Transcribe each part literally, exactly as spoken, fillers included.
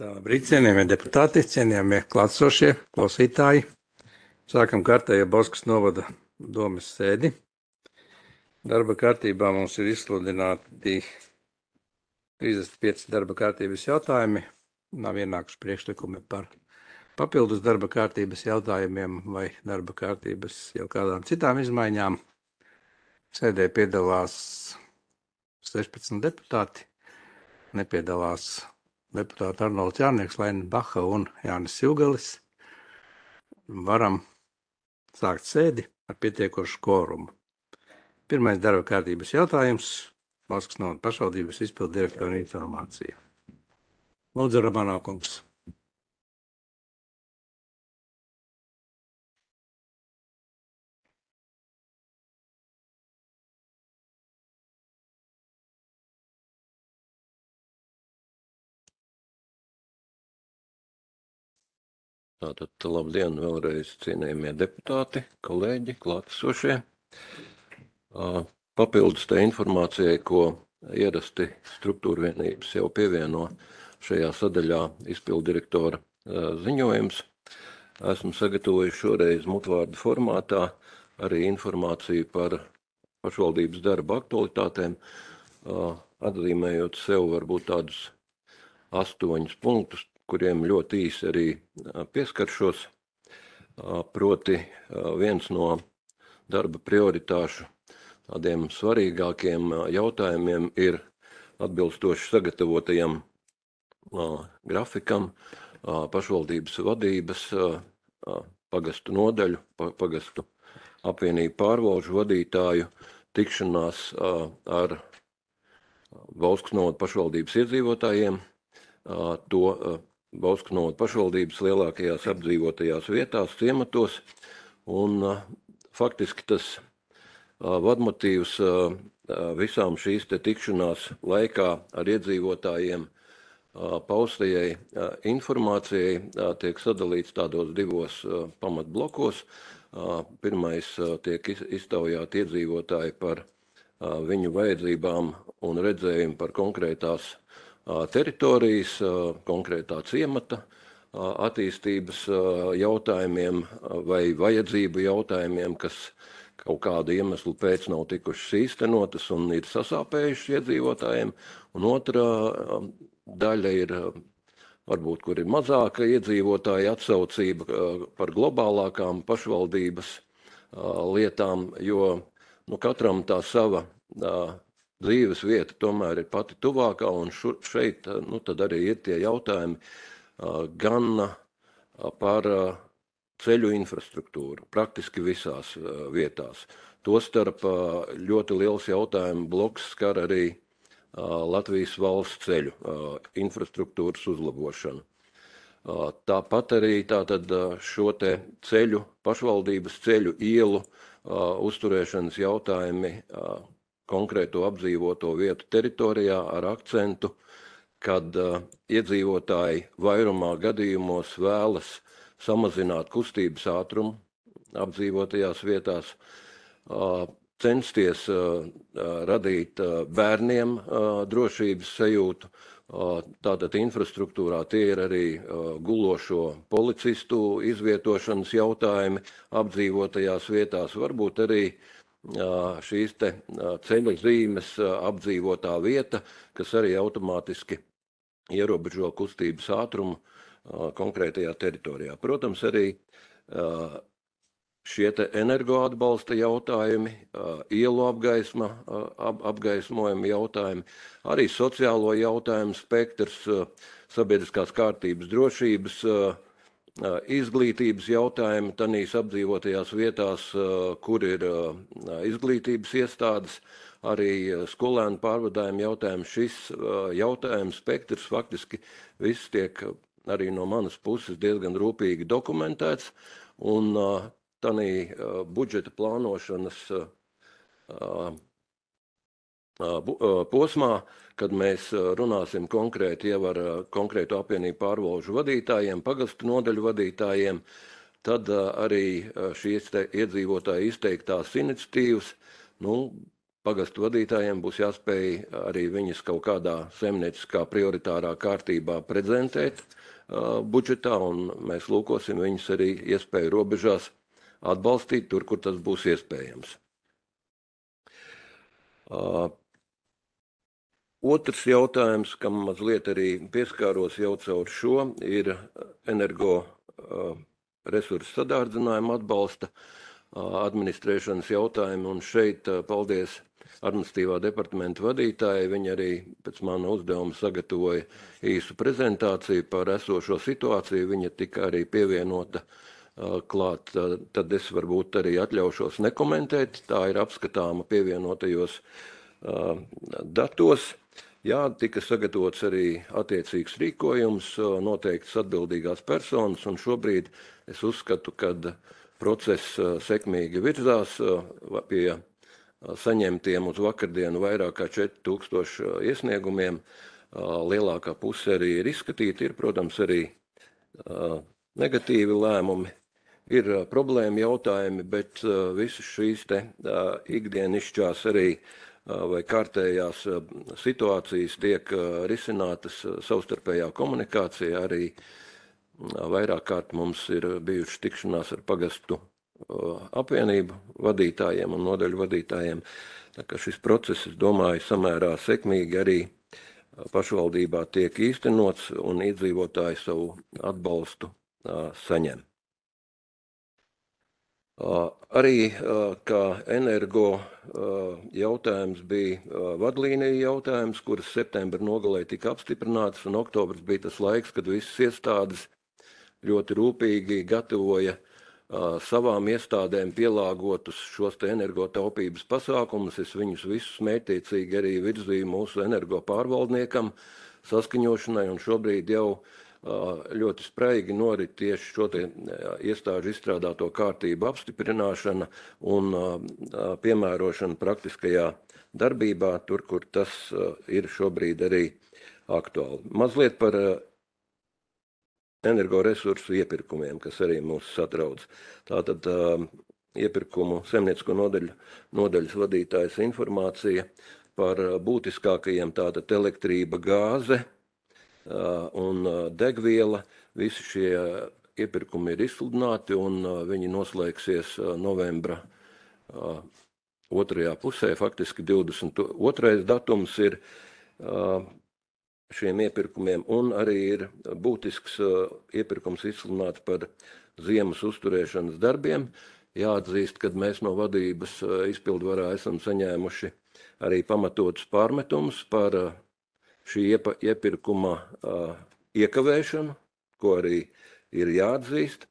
Tā, labrīt, cienījamie deputāti, cienījamie klātsošie, klausītāji. Sākam kārtējo Bauskas novada domes sēdi. Darba kārtībā mums ir izsludināti trīsdesmit pieci darba kārtības jautājumi. Nav ienākuši priekšlikumi par papildus darba kārtības jautājumiem vai darba kārtības jau kādām citām izmaiņām. Sēdē piedalās sešpadsmit deputāti, nepiedalās deputāti Arnolds Jārnieks, Laina Baha un Jānis Silgalis. Varam sākt sēdi ar pietiekošu kvorumu. Pirmais darba kārtības jautājums – Bauskas novada pašvaldības izpildu direktora informācija. Lūdzu, Ramanā kungs. Tātad, labdien vēlreiz cienījamie deputāti, kolēģi, klātesošie. Papildus tai informācijai, ko ierasti struktūra vienības jau pievieno šajā sadaļā izpildu direktora ziņojums, esmu sagatavojis šoreiz mutvārdu formātā arī informāciju par pašvaldības darba aktualitātēm, atzīmējot sev varbūt tādus astoņus punktus, kuriem ļoti īsi arī pieskaršos. Proti viens no darba prioritāšu tādiem svarīgākiem jautājumiem ir atbilstoši sagatavotajam grafikam pašvaldības vadības, pagastu nodaļu, pagastu apvienību pārvalžu vadītāju tikšanās ar Bauskas novada pašvaldības iedzīvotājiem, to Bauskas novada pašvaldības lielākajās apdzīvotajās vietās, ciematos, un faktiski tas vadmotīvs visām šīs te tikšanās laikā ar iedzīvotājiem paustajai informācijai tiek sadalīts tādos divos pamatblokos. Pirmais tiek iztaujāti iedzīvotāji par viņu vajadzībām un redzējumu par konkrētās teritorijas, konkrētā ciemata attīstības jautājumiem vai vajadzību jautājumiem, kas kaut kādu iemeslu pēc nav tikušas īstenotas un ir sasāpējušas iedzīvotājiem. Un otrā daļa ir, varbūt, kur ir mazāka iedzīvotāja atsaucība par globālākām pašvaldības lietām, jo nu, katram tā sava dzīves vieta tomēr ir pati tuvākā, un šeit nu, tad arī ir tie jautājumi gan par ceļu infrastruktūru, praktiski visās vietās. Tostarp ļoti liels jautājumu bloks skar arī Latvijas valsts ceļu infrastruktūras uzlabošanu. Tāpat arī tātad šo te ceļu, pašvaldības ceļu ielu uzturēšanas jautājumi konkrēto apdzīvoto vietu teritorijā ar akcentu, kad uh, iedzīvotāji vairumā gadījumos vēlas samazināt kustības ātrumu apdzīvotajās vietās, uh, censties uh, radīt uh, bērniem uh, drošības sajūtu. Uh, tātad infrastruktūrā tie ir arī uh, gulošo policistu izvietošanas jautājumi apdzīvotajās vietās, varbūt arī šīs te ceļu zīmes apdzīvotā vieta, kas arī automātiski ierobežo kustības ātrumu konkrētajā teritorijā. Protams, arī šie te energoatbalsta jautājumi, ielu apgaisma, ap, apgaismojumi jautājumi, arī sociālo jautājumu spektrs, sabiedriskās kārtības drošības, izglītības jautājumi tanīs apdzīvotajās vietās, kur ir izglītības iestādes, arī skolēnu pārvadājumu jautājumi. Šis jautājumu spektrs faktiski viss tiek arī no manas puses diezgan rūpīgi dokumentēts, un tanī budžeta plānošanas posmā, kad mēs runāsim konkrēti jau ar konkrētu apvienību pārvalžu vadītājiem, pagastu nodaļu vadītājiem, tad arī šīs te iedzīvotāji izteiktās iniciatīvas, nu, Pagastu vadītājiem būs jāspēj arī viņas kaut kādā saimnieciskā prioritārā kārtībā prezentēt uh, budžetā, un mēs lūkosim viņus arī iespēju robežās atbalstīt tur, kur tas būs iespējams. Uh, Otrs jautājums, kam mazliet arī pieskāros jau caur šo, ir energo uh, resursu sadārdzinājuma atbalsta uh, administrēšanas jautājumi, un šeit uh, paldies administratīvā departamenta vadītāji. Viņi arī pēc mana uzdevuma sagatavoja īsu prezentāciju par esošo situāciju. Viņa tika arī pievienota uh, klāt, uh, tad es varbūt arī atļaušos nekomentēt. Tā ir apskatāma pievienotajos uh, datos. Jā, tika sagatavots arī attiecīgs rīkojums, noteikts atbildīgās personas, un šobrīd es uzskatu, ka process sekmīgi virzās pie saņemtiem uz vakardienu vairāk kā četri tūkstoši iesniegumiem. Lielākā puse arī ir izskatīta, ir, protams, arī negatīvi lēmumi, ir problēma jautājumi, bet visas šīs te ikdienišķās arī vai kārtējās situācijas tiek risinātas savstarpējā komunikācijā. Arī vairāk kārt mums ir bijušas tikšanās ar pagastu apvienību vadītājiem un nodaļu vadītājiem. Tā kā šis process, es domāju, samērā sekmīgi arī pašvaldībā tiek īstenots un iedzīvotāji savu atbalstu saņem. Arī kā energo jautājums bija vadlīnija jautājums, kuras septembra nogalē tika apstiprināts, un oktobrs bija tas laiks, kad visas iestādes ļoti rūpīgi gatavoja savām iestādēm pielāgotus šos te energotaupības pasākumus. Es viņus visus mērķtiecīgi arī virzīju mūsu energo pārvaldniekam saskaņošanai, un šobrīd jau ļoti spraigi norit tieši šo te iestāžu izstrādāto kārtību apstiprināšana un piemērošana praktiskajā darbībā, tur, kur tas ir šobrīd arī aktuāli. Mazliet par energoresursu iepirkumiem, kas arī mūs satrauc. Tātad iepirkumu saimniecisko nodaļu, nodaļas vadītājas informācija par būtiskākajiem, tātad elektrība, gāze un degviela. Visi šie iepirkumi ir izsludināti, un viņi noslēgsies novembra otrajā pusē. Faktiski divdesmit otrais datums ir šiem iepirkumiem, un arī ir būtisks iepirkums izsludināts par ziemas uzturēšanas darbiem. Jāatzīst, ka mēs no vadības izpildvarā esam saņēmuši arī pamatotus pārmetumus par šī iepirkuma uh, iekavēšanu, ko arī ir jāatzīst.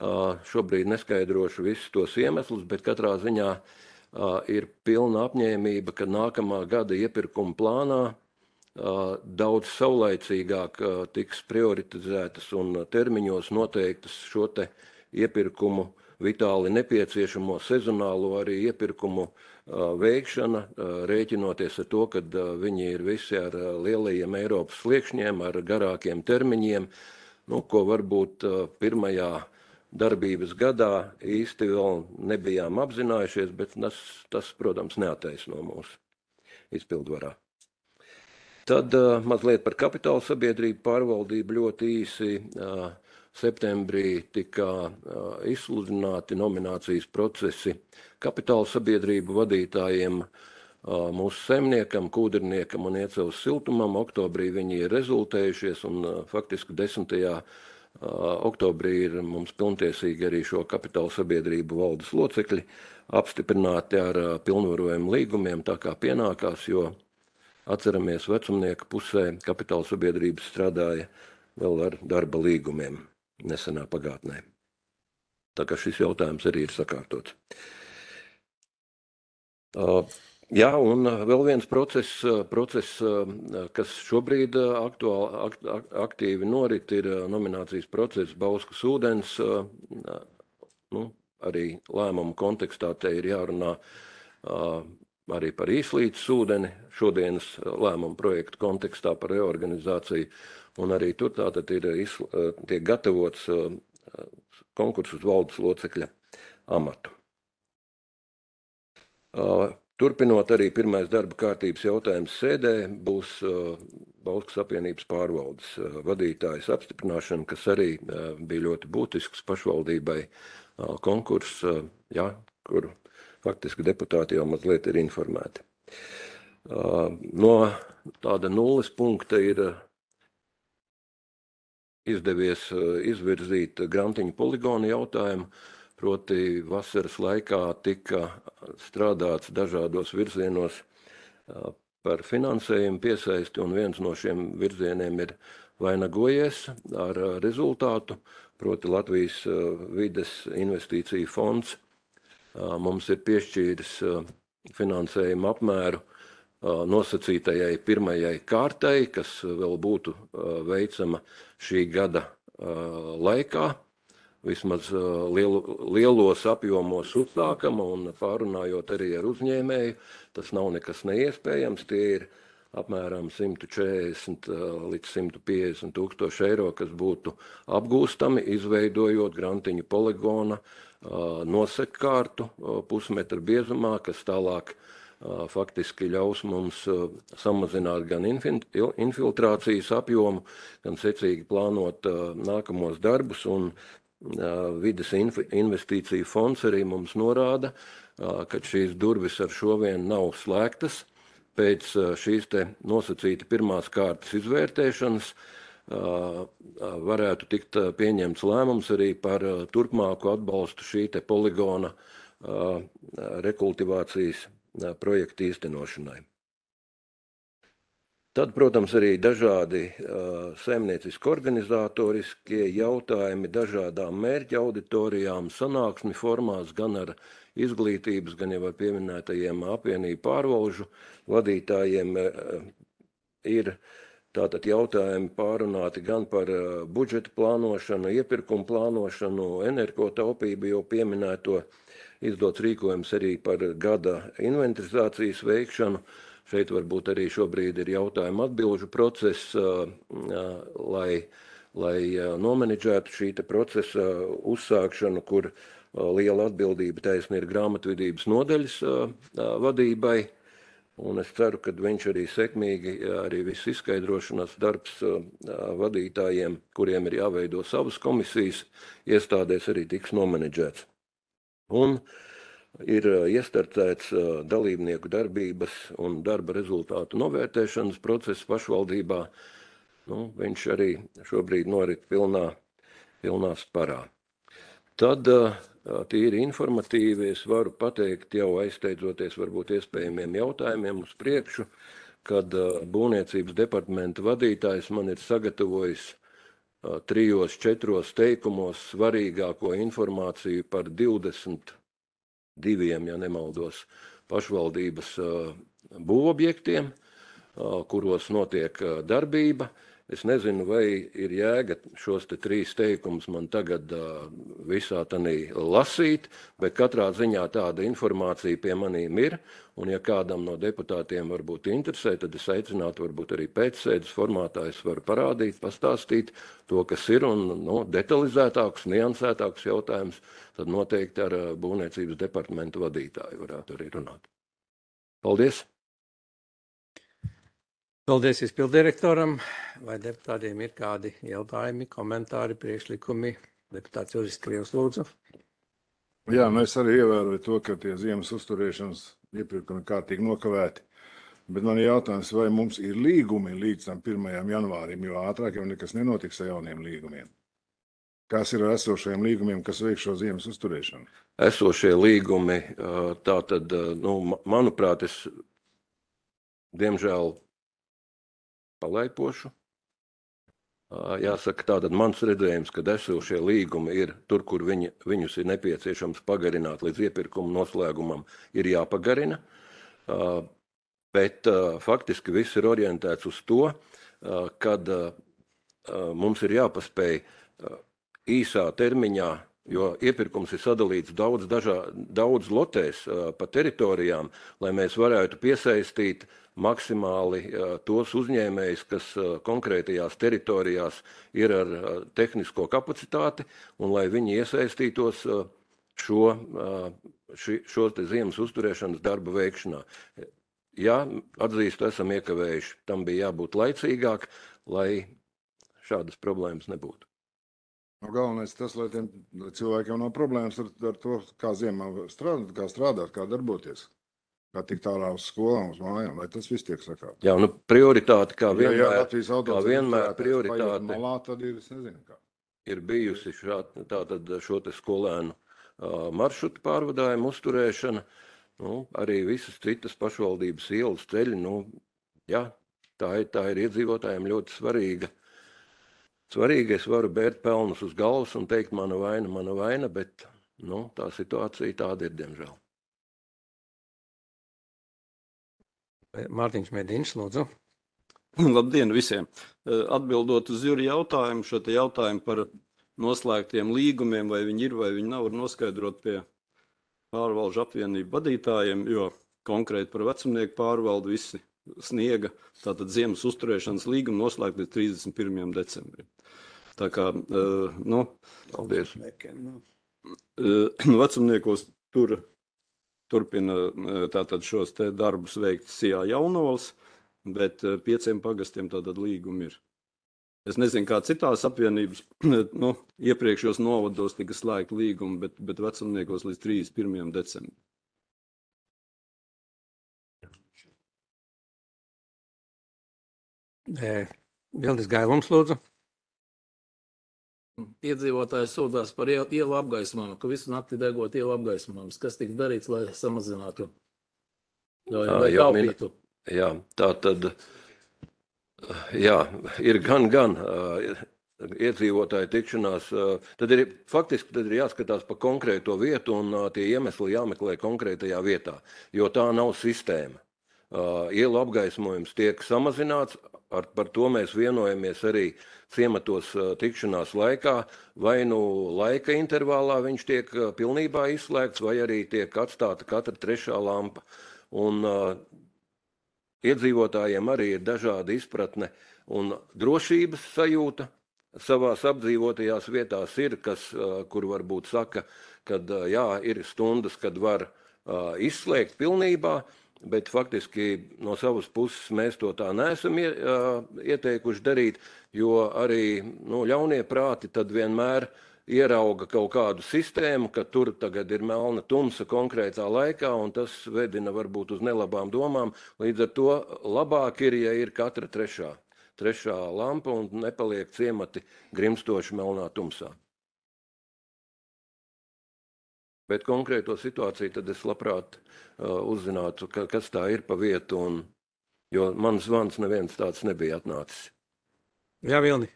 Uh, šobrīd neskaidrošu visus tos iemeslus, bet katrā ziņā uh, ir pilna apņēmība, ka nākamā gada iepirkuma plānā uh, daudz saulaicīgāk uh, tiks prioritizētas un termiņos noteiktas šo te iepirkumu vitāli nepieciešamo sezonālo arī iepirkumu veikšana, rēķinoties ar to, ka viņi ir visi ar lielajiem Eiropas sliekšņiem, ar garākiem termiņiem, nu, ko varbūt pirmajā darbības gadā īsti vēl nebijām apzinājušies, bet tas, tas protams, neattaisno mūsu izpildvarā. Tad mazliet par kapitāla sabiedrību pārvaldību ļoti īsi. Septembrī tika izsludināti nominācijas procesi kapitāla sabiedrību vadītājiem, mūsu saimniekam, Kūdrniekam un Iecavas siltumam. Oktobrī viņi ir rezultējušies, un faktiski desmitajā oktobrī ir mums pilntiesīgi arī šo kapitāla sabiedrību valdes locekļi apstiprināti ar pilnvarojumu līgumiem, tā kā pienākās, jo atceramies, vecumnieka pusē kapitāla sabiedrības strādāja vēl ar darba līgumiem nesenā pagātnē. Tā kā šis jautājums arī ir sakārtots. Uh, jā, un vēl viens process, process kas šobrīd aktuāli, akt, aktīvi norit, ir nominācijas process Bauskas ūdens. Uh, nu, arī lēmumu kontekstā te ir jārunā uh, arī par Īslītes ūdeni, šodienas lēmumu projektu kontekstā par reorganizāciju. Un arī tur tātad ir tiek gatavots konkurss uz valdes locekļa amatu. Turpinot arī pirmais darba kārtības jautājums sēdē būs Bauskas apvienības pārvaldes vadītājas apstiprināšana, kas arī bija ļoti būtisks pašvaldībai konkurss, jā, kur faktiski deputāti jau mazliet ir informēti. No tāda nulles punkta ir izdevies izvirzīt grantiņu poligonu jautājumu, proti vasaras laikā tika strādāts dažādos virzienos par finansējumu piesaisti, un viens no šiem virzieniem ir vainagojies ar rezultātu, proti Latvijas vides investīciju fonds mums ir piešķīris finansējumu apmēru nosacītajai pirmajai kārtai, kas vēl būtu veicama šī gada laikā. Vismaz lielu, lielos apjomos uzsākama un pārunājot arī ar uzņēmēju, tas nav nekas neiespējams. Tie ir apmēram simt četrdesmit līdz simt piecdesmit tūkstoši eiro, kas būtu apgūstami, izveidojot grantiņu poligona nosekkārtu pusmetra biezumā, kas tālāk faktiski ļaus mums samazināt gan infiltrācijas apjomu, gan secīgi plānot nākamos darbus, un vides investīciju fonds arī mums norāda, ka šīs durvis ar šo vien nav slēgtas. Pēc šīs te nosacīta pirmās kārtas izvērtēšanas varētu tikt pieņemts lēmums arī par turpmāku atbalstu šī te poligona rekultivācijas projekta īstenošanai. Tad, protams, arī dažādi uh, saimnieciski organizatoriskie jautājumi, dažādām mērķa auditorijām, sanāksmi formās, gan ar izglītības, gan jau ar pieminētajiem apvienību pārvalžu vadītājiem uh, ir tātad jautājumi pārunāti gan par uh, budžeta plānošanu, iepirkumu plānošanu, energotaupību jau pieminēto, izdots rīkojums arī par gada inventarizācijas veikšanu. Šeit varbūt arī šobrīd ir jautājuma atbilžu process, lai, lai nomenedžētu šī procesa uzsākšanu, kur liela atbildība taisni ir grāmatvedības nodaļas vadībai. Un es ceru, ka viņš arī sekmīgi, arī viss izskaidrošanas darbs vadītājiem, kuriem ir jāveido savas komisijas, iestādēs arī tiks nomenedžēts. Un ir iestartēts dalībnieku darbības un darba rezultātu novērtēšanas process pašvaldībā. Nu, viņš arī šobrīd norit pilnā, pilnā sparā. Tad tīri informatīvi es varu pateikt, jau aizsteidzoties varbūt iespējamiem jautājumiem uz priekšu, kad būvniecības departamenta vadītājs man ir sagatavojis trijos, četros teikumos svarīgāko informāciju par divdesmit diviem, ja nemaldos, pašvaldības būvobjektiem, kuros notiek darbība. Es nezinu, vai ir jēga šos te trīs teikumus man tagad visā tanī lasīt, bet katrā ziņā tāda informācija pie manīm ir, un ja kādam no deputātiem varbūt interesē, tad es aicinātu varbūt arī pēcsēdes formātā es varu parādīt, pastāstīt to, kas ir, un no, detalizētāks, niansētāks jautājums, tad noteikti ar būvniecības departamentu vadītāju varētu arī runāt. Paldies! Paldies izpildirektoram. Vai deputātiem ir kādi jautājumi, komentāri, priekšlikumi? Deputāts Juris Krievs, lūdzu. Jā, nu es arī ievēroju to, ka tie ziemas uzturēšanas iepirkumi kārtīgi nokavēti. Bet man ir jautājums, vai mums ir līgumi līdz tam pirmajam janvārim, jo ātrāk jau nekas nenotiks ar jauniem līgumiem. Kas ir ar esošajiem līgumiem, kas veik šo ziemas uzturēšanu? Esošie līgumi, tā tad, nu, manuprāt, es diemžēl palaipošu. Jāsaka, tātad mans redzējums, ka esošie līgumi ir tur, kur viņi, viņus ir nepieciešams pagarināt līdz iepirkuma noslēgumam, ir jāpagarina, bet faktiski viss ir orientēts uz to, kad mums ir jāpaspēj īsā termiņā, jo iepirkums ir sadalīts daudz, dažā, daudz lotēs pa teritorijām, lai mēs varētu piesaistīt maksimāli tos uzņēmējus, kas konkrētajās teritorijās ir ar tehnisko kapacitāti, un lai viņi iesaistītos šo, ši, šos te ziemas uzturēšanas darba veikšanā. Jā, atzīstu, esam iekavējuši. Tam bija jābūt laicīgāk, lai šādas problēmas nebūtu. Nu, galvenais tas, lai tiem cilvēkiem nav problēmas ar, ar to, kā ziemā strādāt, kā strādāt, kā darboties. Kā tik tālā uz skolām, uz mājām, lai tas viss tiek sakāt. Jā, nu prioritāte, kā vienmēr, ja, ja kā vienmēr prioritāte malā, tad ir, es nezinu, kā. ir bijusi šā, tātad šo te skolēnu uh, maršrutu pārvadājumu uzturēšana, nu, arī visas citas pašvaldības ielas ceļi, nu, jā, tā ir, tā ir iedzīvotājiem ļoti svarīga. Svarīgi, es varu bērt pelnus uz galvas un teikt, mana vaina, mana vaina, bet, nu, tā situācija tāda ir, diemžēl. Mārtiņš Medīns, lūdzu. Labdien visiem! Atbildot uz Juri jautājumu, šo te jautājumu par noslēgtiem līgumiem, vai viņi ir vai viņi nav, var noskaidrot pie pārvalžu apvienību vadītājiem, jo konkrēti par vecumnieku pārvaldu visi sniega, tātad ziemas uzturēšanas līgumu noslēgt līdz trīsdesmit pirmajam decembrim. Tā kā, nu, Paldies. Vecumniekos tur turpina tātad šos te darbus veikt Sijā Jaunols, bet pieciem pagastiem tātad līgumi ir. Es nezinu, kā citās apvienības, nu, iepriekšos novados tika slēgti līgumi, bet, bet vecumniekos līdz trīsdesmit pirmajam decembrim. Vildis Gailums, lūdzu. Iedzīvotāji sūdzās par ielu, ielu apgaismojumu, ka visu nakti degot ielu apgaismojumus. Kas tiks darīts, lai samazinātu, lai, lai taupītu? Jā, tā tad, jā, ir gan, gan iedzīvotāju tikšanās. Tad ir, faktiski tad ir jāskatās pa konkrēto vietu un tie iemesli jāmeklē konkrētajā vietā, jo tā nav sistēma. Ielu apgaismojums tiek samazināts, ar, par to mēs vienojamies arī ciematos tikšanās laikā, vai nu laika intervālā viņš tiek pilnībā izslēgts, vai arī tiek atstāta katra trešā lampa. Un uh, iedzīvotājiem arī ir dažāda izpratne un drošības sajūta savās apdzīvotajās vietās ir, kas, uh, kur varbūt saka, kad uh, jā, ir stundas, kad var uh, izslēgt pilnībā, bet faktiski no savas puses mēs to tā neesam ieteikuši darīt, jo arī nu, ļaunie prāti tad vienmēr ierauga kaut kādu sistēmu, ka tur tagad ir melna tumsa konkrētā laikā, un tas vedina varbūt uz nelabām domām. Līdz ar to labāk ir, ja ir katra trešā, trešā lampa un nepaliek ciemati grimstoši melnā tumsā. Bet konkrēto situāciju tad es labprāt uh, uzzinātu, ka, kas tā ir pa vietu, un, jo man zvans neviens tāds nebija atnācis. Jā, Vilni.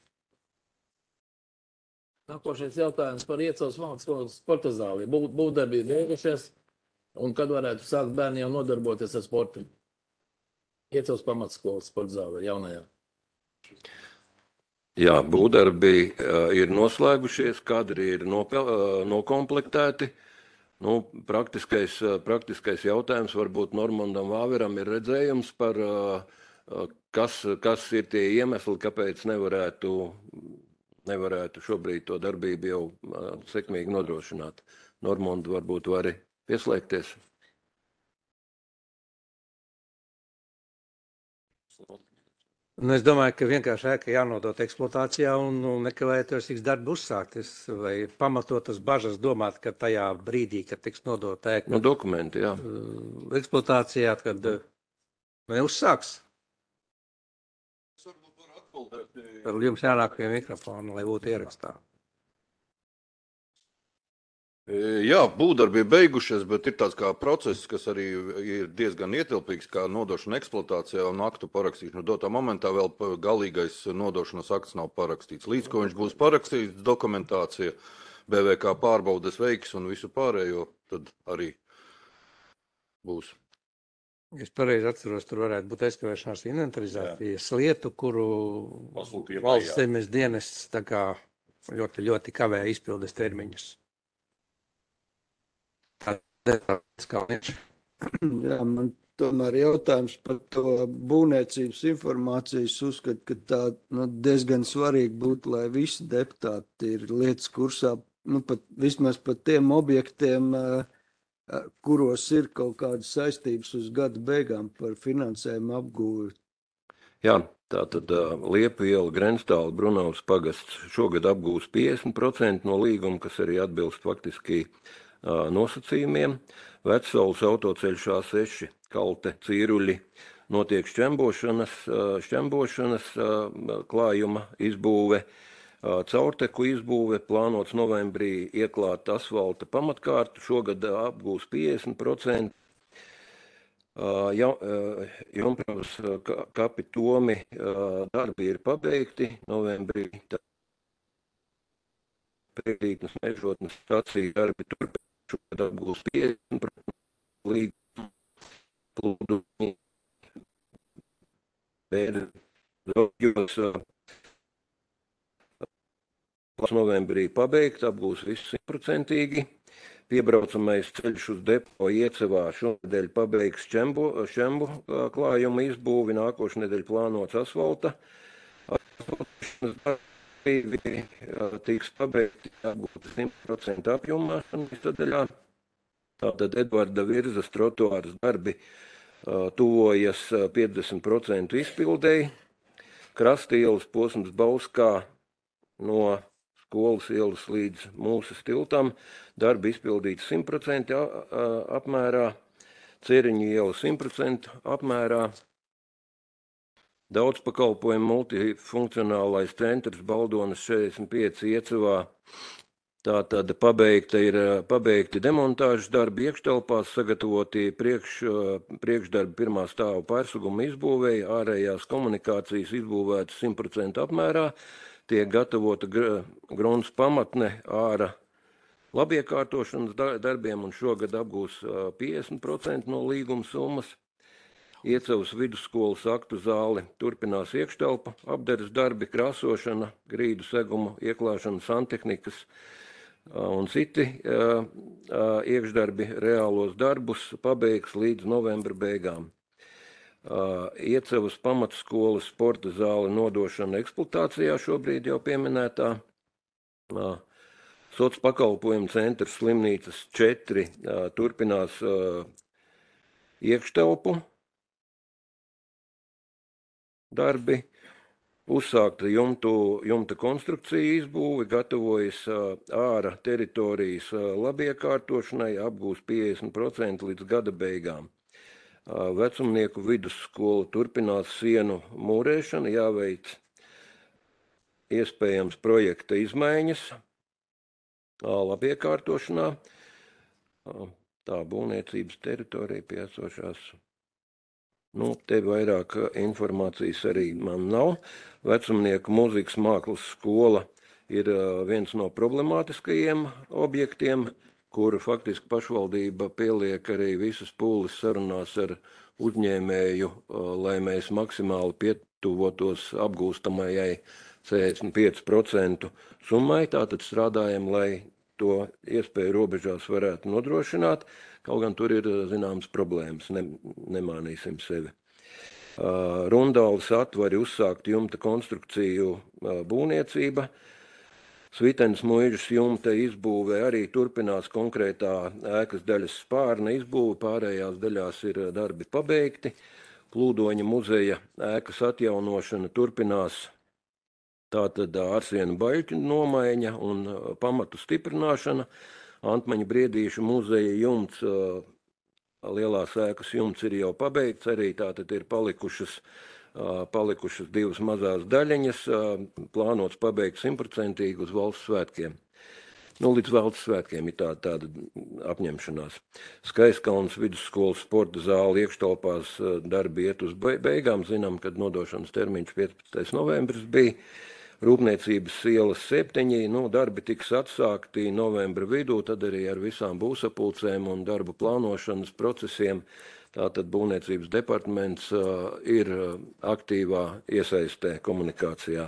Nākošais jautājums par Iecavas mākslas sporta zāli. Būvdarbi ir beigušies, un kad varētu sākt bērni jau nodarboties ar sportu? Iecavas pamatskolas sporta zāli jaunajā. Jā, būvdarbi uh, ir noslēgušies, kadri ir nopel, uh, nokomplektēti. Nu, praktiskais, praktiskais jautājums varbūt Normandam Vāveram ir redzējums par, kas, kas ir tie iemesli, kāpēc nevarētu, nevarētu šobrīd to darbību jau sekmīgi nodrošināt. Normand varbūt vari pieslēgties. Nu, es domāju, ka vienkārši ēka jānodot eksploatācijā un, un nekavējoties tiks darbi uzsākties, vai pamatotas bažas domāt, ka tajā brīdī, kad tiks nodot ēka no dokumenti, jā. eksploatācijā, kad neuzsāks. Tad jums jānāk pie mikrofona, lai būtu ierakstā. Jā, būvdarbi ir beigušies, bet ir tāds kā process, kas arī ir diezgan ietilpīgs, kā nodošana eksploatācijā un aktu parakstīšana. Dotā momentā vēl galīgais nodošanas akts nav parakstīts. Līdz ko viņš būs parakstīts, dokumentācija, B V K pārbaudes veiks un visu pārējo, tad arī būs. Es pareizi atceros, tur varētu būt aizkavēšanās inventarizācijas lietu, kuru valsts zemes dienests tā kā ļoti, ļoti kavē izpildes termiņus. Jā, man tomēr jautājums par to būvniecības informācijas uzskat, ka tā nu, diezgan svarīgi būtu, lai visi deputāti ir lietas kursā nu, pat, vismaz par tiem objektiem, kuros ir kaut kādas saistības uz gada beigām par finansējumu apgūvi. Jā, tā tad uh, Liepu iela, Grenstāla, Brunavas pagasts šogad apgūs piecdesmit procenti no līguma, kas arī atbilst faktiski uh, nosacījumiem. Vecsaules autoceļš A seši, Kalte, Cīruļi, notiek šķembošanas, uh, šķembošanas uh, klājuma izbūve, uh, caurteku izbūve, plānots novembrī ieklāt asfalta pamatkārtu, šogad uh, apgūs piecdesmit procenti. Uh, ja, uh, Jumpravas uh, kapitomi uh, darbi ir pabeigti novembrī. Priekšrītnes mežotnes stācija darbi turpinās, šogad apgūs piecdesmit procenti līdz plūdumi. Bēdļos uh, novembrī pabeigt, apgūs visu simtprocentīgi. Piebraucamais ceļš uz depo Iecevā šonedēļ pabeigs šķembu, šķembu klājumu izbūvi, nākošu nedēļu plānots asfalta. Asfaltēšanas darbi tiks pabeigti apgūt simt procentu apjomā sadaļā. Tātad Edvarda Virzas trotuāras darbi tuvojas piecdesmit procentu izpildēji. Krastielas posms Bauskā no Skolas ielas līdz Mūsas tiltam, darbi izpildīts simt procenti apmērā, Ceriņu iela simt procenti apmērā, daudzpakalpojumu multifunkcionālais centrs Baldonas četrdesmit pieci Iecevā. Tātad pabeigta ir pabeigti demontāžas darbi iekštelpās, sagatavoti priekš, priekšdarbi pirmā stāva pārsuguma izbūvēja, ārējās komunikācijas izbūvētas simt procenti apmērā, tiek gatavota grunts pamatne āra labiekārtošanas darbiem un šogad apgūs piecdesmit procenti no līguma summas. Iecevas vidusskolas aktu zāli turpinās iekštelpa, apdares darbi, krāsošana, grīdu segumu, ieklāšana, santehnikas un citi iekšdarbi reālos darbus pabeigs līdz novembra beigām. Iecevas pamatskolas sporta zāle nodošana eksploatācijā šobrīd jau pieminētā. Soc pakalpojumu centrs slimnīcas četri turpinās iekštelpu darbi. Uzsākta jumtu, jumta konstrukcija izbūve, gatavojas āra teritorijas labiekārtošanai, apgūs piecdesmit procenti līdz gada beigām. Vecumnieku vidusskola turpinās sienu mūrēšanu, jāveic iespējams projekta izmaiņas labiekārtošanā. Tā būvniecības teritorija piesošās. Nu, te vairāk informācijas arī man nav. Vecumnieku mūzikas mākslas skola ir viens no problemātiskajiem objektiem, kuru faktiski pašvaldība pieliek arī visas pūles sarunās ar uzņēmēju, lai mēs maksimāli pietuvotos apgūstamajai sešdesmit pieci procenti summai. Tātad strādājam, lai to iespēju robežās varētu nodrošināt, kaut gan tur ir zināmas problēmas, ne, nemānīsim sevi. Rundāles atvari uzsākt jumta konstrukciju būvniecība. Svitenes muižas jumta izbūve arī turpinās konkrētā ēkas daļas spārna izbūve, pārējās daļās ir darbi pabeigti. Plūdoņa muzeja ēkas atjaunošana turpinās, tātad ārsienu baļķu nomaiņa un pamatu stiprināšana. Antmaņa Briedīšu muzeja jumts, lielās ēkas jumts ir jau pabeigts, arī tātad ir palikušas palikušas divas mazās daļiņas, plānots pabeigt simtprocentīgi uz valsts svētkiem. Nu, līdz valsts svētkiem ir tāda, tāda apņemšanās. Skaiskalnas vidusskolas sporta zāle iekštelpās darbi iet uz beigām. Zinām, kad nodošanas termiņš piecpadsmitais novembris bija. Rūpniecības ielas septiņi, nu, darbi tiks atsākti novembra vidū, tad arī ar visām būsapulcēm un darbu plānošanas procesiem. Tātad būvniecības departaments uh, ir aktīvā iesaistē komunikācijā.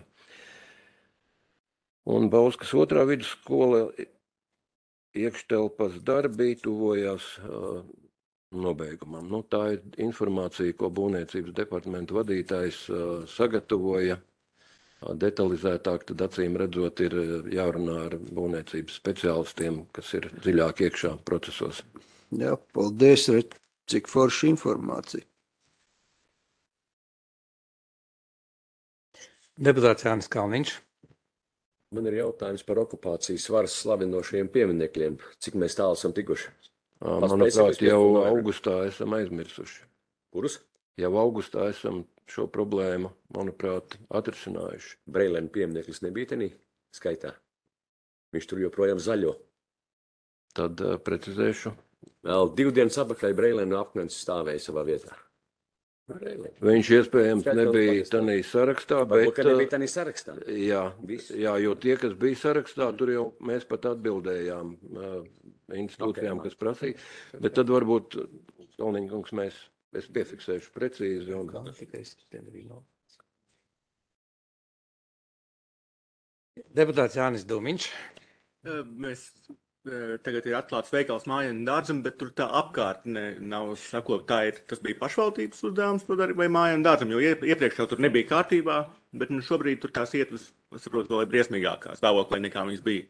Un Bauskas otrā vidusskola iekštelpas darbi tuvojās uh, nobeigumam. Nu, tā ir informācija, ko būvniecības departamenta vadītājs uh, sagatavoja detalizētāk, tad acīm redzot ir jārunā ar būvniecības speciālistiem, kas ir dziļāk iekšā procesos. Jā, paldies, redz, cik forša informācija. Deputāts Jānis Kalniņš. Man ir jautājums par okupācijas varas slavinošiem pieminekļiem. Cik mēs tālu esam tikuši? Manuprāt, jau augustā esam aizmirsuši. Kurus? Jau augustā esam šo problēmu, manuprāt, atrisinājuši. Breilēna piemineklis nebija tenī skaitā. Viņš tur joprojām zaļo. Tad uh, precizēšu. Vēl divu dienas apakaļ Breilēna apknens stāvēja savā vietā. Breilēna. Viņš iespējams nebija tanī sarakstā, bet... Varbūt, ka nebija tanī sarakstā. Jā, jā, jo tie, kas bija sarakstā, tur jau mēs pat atbildējām uh, institūcijām, Okay, kas prasīja. Bet tad varbūt, Kalniņa kungs, mēs, es piefiksēšu precīzi. Un... Deputāts Jānis Dūmiņš. Mēs tagad ir atklāts veikals Mājienu dārzam, bet tur tā apkārtne nav sakot, tā ir, tas bija pašvaldības uzdevums to darīt vai Mājienu dārzam, jo iepriekš jau tur nebija kārtībā, bet nu šobrīd tur tās ietves, es saprotu, vēl ir briesmīgākā stāvoklī nekā viņas bija.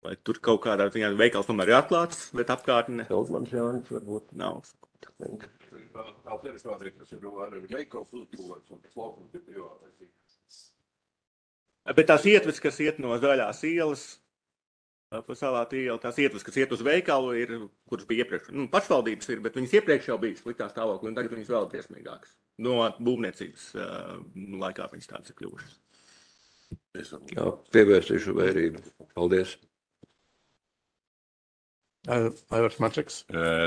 Vai tur kaut kādā ziņā veikals tomēr ir atklāts, bet apkārtne Feldmans Jānis varbūt nav. Tā teritorija, kas ir ar veikals uzbūvēts un tas laukums ir privātais. Bet tās ietves, kas iet no Zaļās ielas, pa Salātu ielu, tās ietves, kas iet uz veikalu, ir, kuras bija iepriekš, nu, pašvaldības ir, bet viņas iepriekš jau bija sliktā stāvoklī, un tagad viņas vēl briesmīgākas. No būvniecības uh, laikā viņas tādas ir kļuvušas. Jā, pievērsīšu vērību. Paldies. Aivars Mačeks.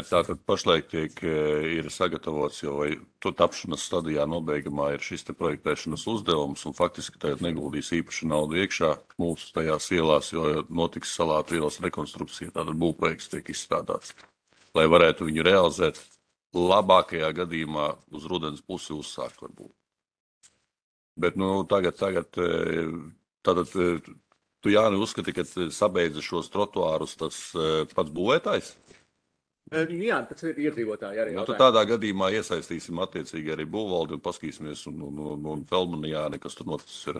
Tātad pašlaik tiek, ir sagatavots jau vai to tapšanas stadijā nobeigumā ir šis te projektēšanas uzdevums un faktiski tagad neguldīs īpaši naudu iekšā mūsu tajās ielās, jo notiks Salātu ielas rekonstrukcija, tātad būvprojekts tiek izstrādāts, lai varētu viņu realizēt labākajā gadījumā uz rudens pusi uzsākt varbūt. Bet nu tagad, tagad, tātad tu, Jāni, uzskati, ka sabeidza šos trotuārus tas pats būvētājs? Jā, tas ir iedzīvotāji arī. Nu, tad tādā gadījumā iesaistīsim attiecīgi arī būvvaldi un paskatīsimies un, un, un, un Feldmanu Jāni, kas tur noticis ir.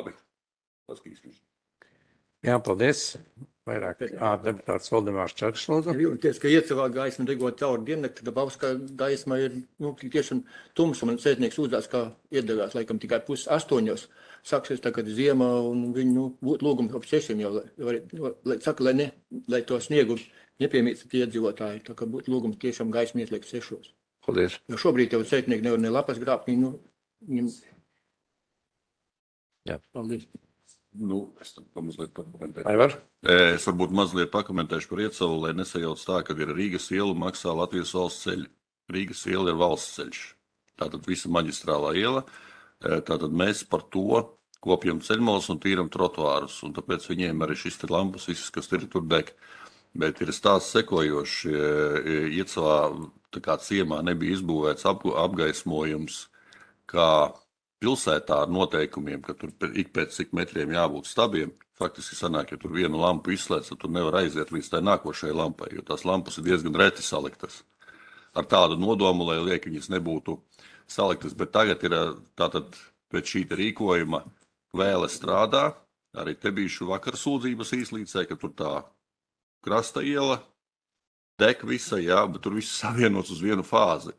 Labi, paskatīsimies. Jā, paldies. Vairāk ā, deputāts Valdemārs Čakšs, lūdzu. Jūties, ka iecavā gaisma degot cauri diennakti, ka Bauskā gaisma ir, nu, tiešām tumsa. Man sētnieks uzdās, kā iedegās, laikam, tikai puses astoņos. Sāksies tagad ziemā un viņu, nu, būtu lūgums ap sešiem jau, lai, lai, saka, lai ne, lai to sniegu nepiemīstat iedzīvotāji, tā kā būtu lūgums tiešām gaisma ietliek sešos. Paldies. Jo šobrīd jau sētnieki nevar ne lapas grābt, nu, viņam... Jā. Paldies. Nu, es tad pamazliet pakomentēšu. Aivar? Es varbūt mazliet pakomentēšu par Iecelu, lai nesajauc tā, ka ir Rīgas iela maksā Latvijas valsts ceļi. Rīgas iela ir valsts ceļš. Tātad visa maģistrālā iela. Tātad mēs par to kopjam ceļmalus un tīram trotuārus. Un tāpēc viņiem arī šis te lampas, visas, kas ir tur deg. Bet ir stāsts sekojoši. Iecavā tā kā ciemā nebija izbūvēts ap, apgaismojums, kā pilsētā ar noteikumiem, ka tur ik pēc cik metriem jābūt stabiem. Faktiski sanāk, ja tur vienu lampu izslēdz, tad tur nevar aiziet līdz tai nākošajai lampai, jo tās lampas ir diezgan reti saliktas. Ar tādu nodomu, lai liek viņas nebūtu saliktas, bet tagad ir tātad pēc šī rīkojuma Kvēle strādā. Arī te bijuši vakar sūdzības īslīcē, ka tur tā krasta iela deg visa, jā, bet tur viss savienots uz vienu fāzi.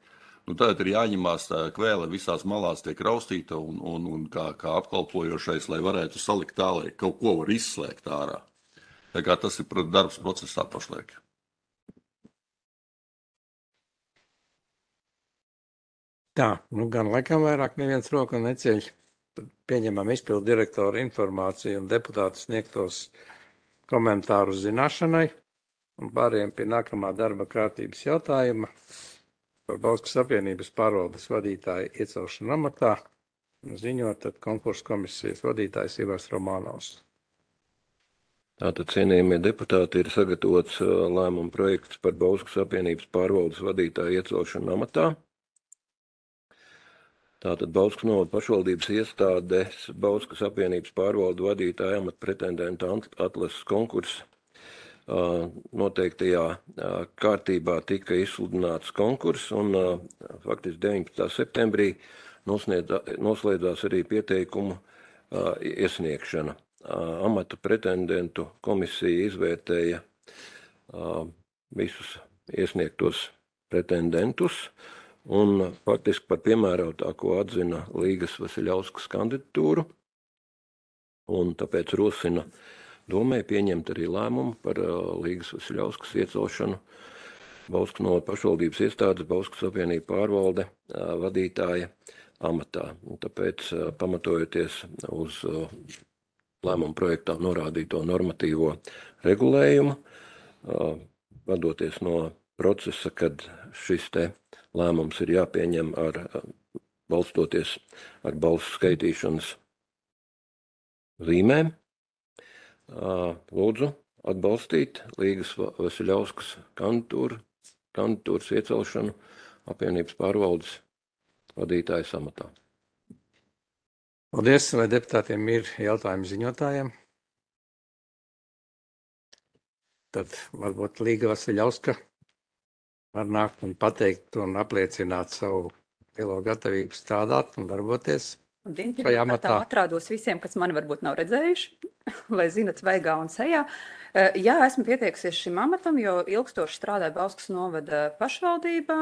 Nu, tagad ir jāņemās tā Kvēle visās malās tiek raustīta un, un, un kā, kā apkalpojošais, lai varētu salikt tā, lai kaut ko var izslēgt ārā. Tā kā tas ir darbs procesā pašlaik. Tā, nu gan laikam vairāk neviens roku neceļ. Tad pieņemam izpildu direktoru informāciju un deputātu sniegtos komentārus zināšanai un pārējiem pie nākamā darba kārtības jautājuma. Par Bauskas apvienības pārvaldes vadītāju iecelšanu amatā ziņot tad konkursu komisijas vadītājs Ivars Romānovs. Tātad, cienījamie deputāti, ir sagatavots lēmuma projekts par Bauskas apvienības pārvaldes vadītāju iecelšanu amatā. Tātad Bauskas novada pašvaldības iestādes Bauskas apvienības pārvaldu vadītāju amata pretendenta atlases konkurss noteiktajā kārtībā tika izsludināts konkurss, un faktiski deviņpadsmitā septembrī noslēdzās arī pieteikumu iesniegšana. Amata pretendentu komisija izvērtēja visus iesniegtos pretendentus, un faktiski par piemērotāko atzina Līgas Vasiļauskas kandidatūru, un tāpēc rosina domē pieņemt arī lēmumu par Līgas Vasiļauskas iecelšanu Bauskas novada pašvaldības iestādes Bauskas apvienība pārvalde vadītāja amatā. Un tāpēc, pamatojoties uz lēmumu projektā norādīto normatīvo regulējumu, vadoties no procesa, kad šis te lēmums ir jāpieņem ar balstoties ar balsu skaitīšanas zīmēm, lūdzu atbalstīt Līgas Vasiļauskas kandidatūru, kandidatūras iecelšanu apvienības pārvaldes vadītājas amatā. Paldies, vai deputātiem ir jautājumi ziņotājiem? Tad varbūt Līga Vasiļauska var nākt un pateikt un apliecināt savu lielo gatavību strādāt un darboties. Labdien, pirmkārt atrādos visiem, kas mani varbūt nav redzējuši, lai zinat veigā un sejā. Jā, esmu pieteikusies šim amatam, jo ilgstoši strādāju Bauskas novada pašvaldībā,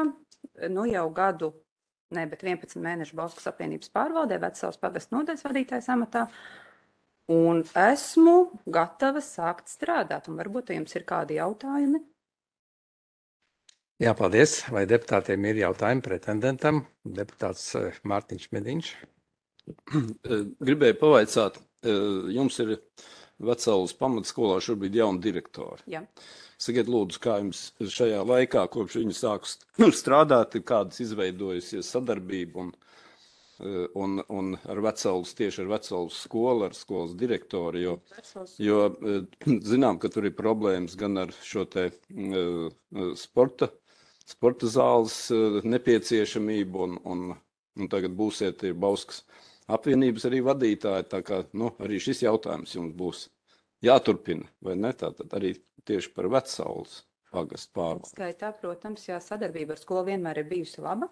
nu jau gadu, ne, bet vienpadsmit mēnešu Bauskas apvienības pārvaldē, Vecavas pagasta nodaļas vadītājas amatā, un esmu gatava sākt strādāt, un varbūt jums ir kādi jautājumi? Jā, paldies. Vai deputātiem ir jautājumi pretendentam? Deputāts Mārtiņš Mediņš. Gribēju pavaicāt, jums ir Vecavas pamatskolā šobrīd jauni direktori. Jā. Sakiet, lūdzu, kā jums šajā laikā, kopš viņi sāk strādāt, ir kādas izveidojusies sadarbība un, un, un ar Vecavas, tieši ar Vecavas skolu, ar skolas direktoru, jo, jo zinām, ka tur ir problēmas gan ar šo te sporta, sporta zāles nepieciešamību un, un, un tagad būsiet ir Bauskas apvienības arī vadītāji, tā kā, nu, arī šis jautājums jums būs jāturpina, vai ne? Tātad arī tieši par Vecavas pagastu pārvaldi. Skaitā, protams, jā, sadarbība ar skolu vienmēr ir bijusi laba.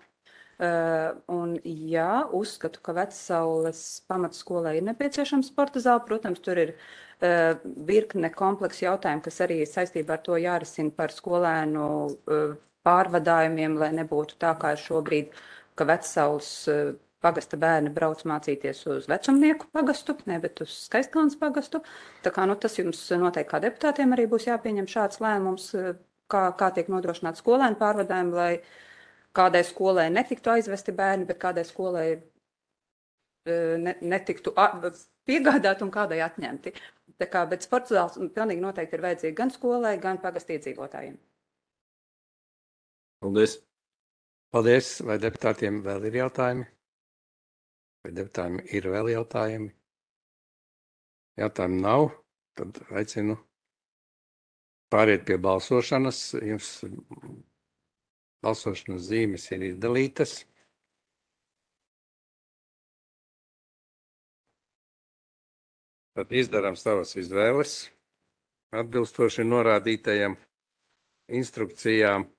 Uh, un jā, uzskatu, ka Vecavas pamatskolai ir nepieciešama sporta zāle. Protams, tur ir uh, virkne kompleksu jautājumu, kas arī saistībā ar to jārisina par skolēnu uh, pārvadājumiem, lai nebūtu tā kā šobrīd, ka Vecavas uh, pagasta bērni brauc mācīties uz vecumnieku pagastu, ne, bet uz Skaistkalnas pagastu. Tā kā, nu, tas jums noteikti kā deputātiem arī būs jāpieņem šāds lēmums, kā, kā tiek nodrošināt skolēnu pārvadājumu, lai kādai skolai netiktu aizvesti bērni, bet kādai skolai ne, netiktu piegādāt un kādai atņemti. Tā kā, bet sporta zāles pilnīgi noteikti ir vajadzīgi gan skolai, gan pagastu iedzīvotājiem. Paldies. Paldies. Vai deputātiem vēl ir jautājumi? Vai deputātiem ir vēl jautājumi? Jautājumu nav, tad aicinu pāriet pie balsošanas. Jums balsošanas zīmes ir izdalītas. Tad izdarām savas izvēles atbilstoši norādītajām instrukcijām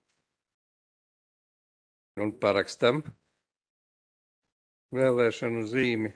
un parakstam vēlēšanu zīmi.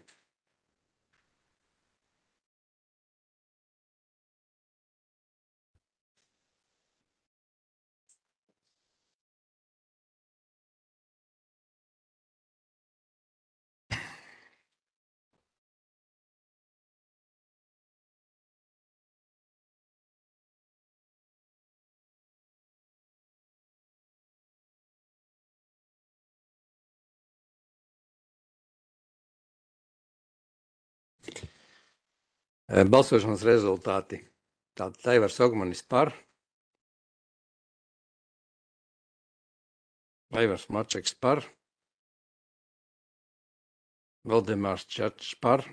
Balsošanas rezultāti. Tātad Aivars Ogmanis par, Aivars Mačeks par, Valdemārs Čačs par,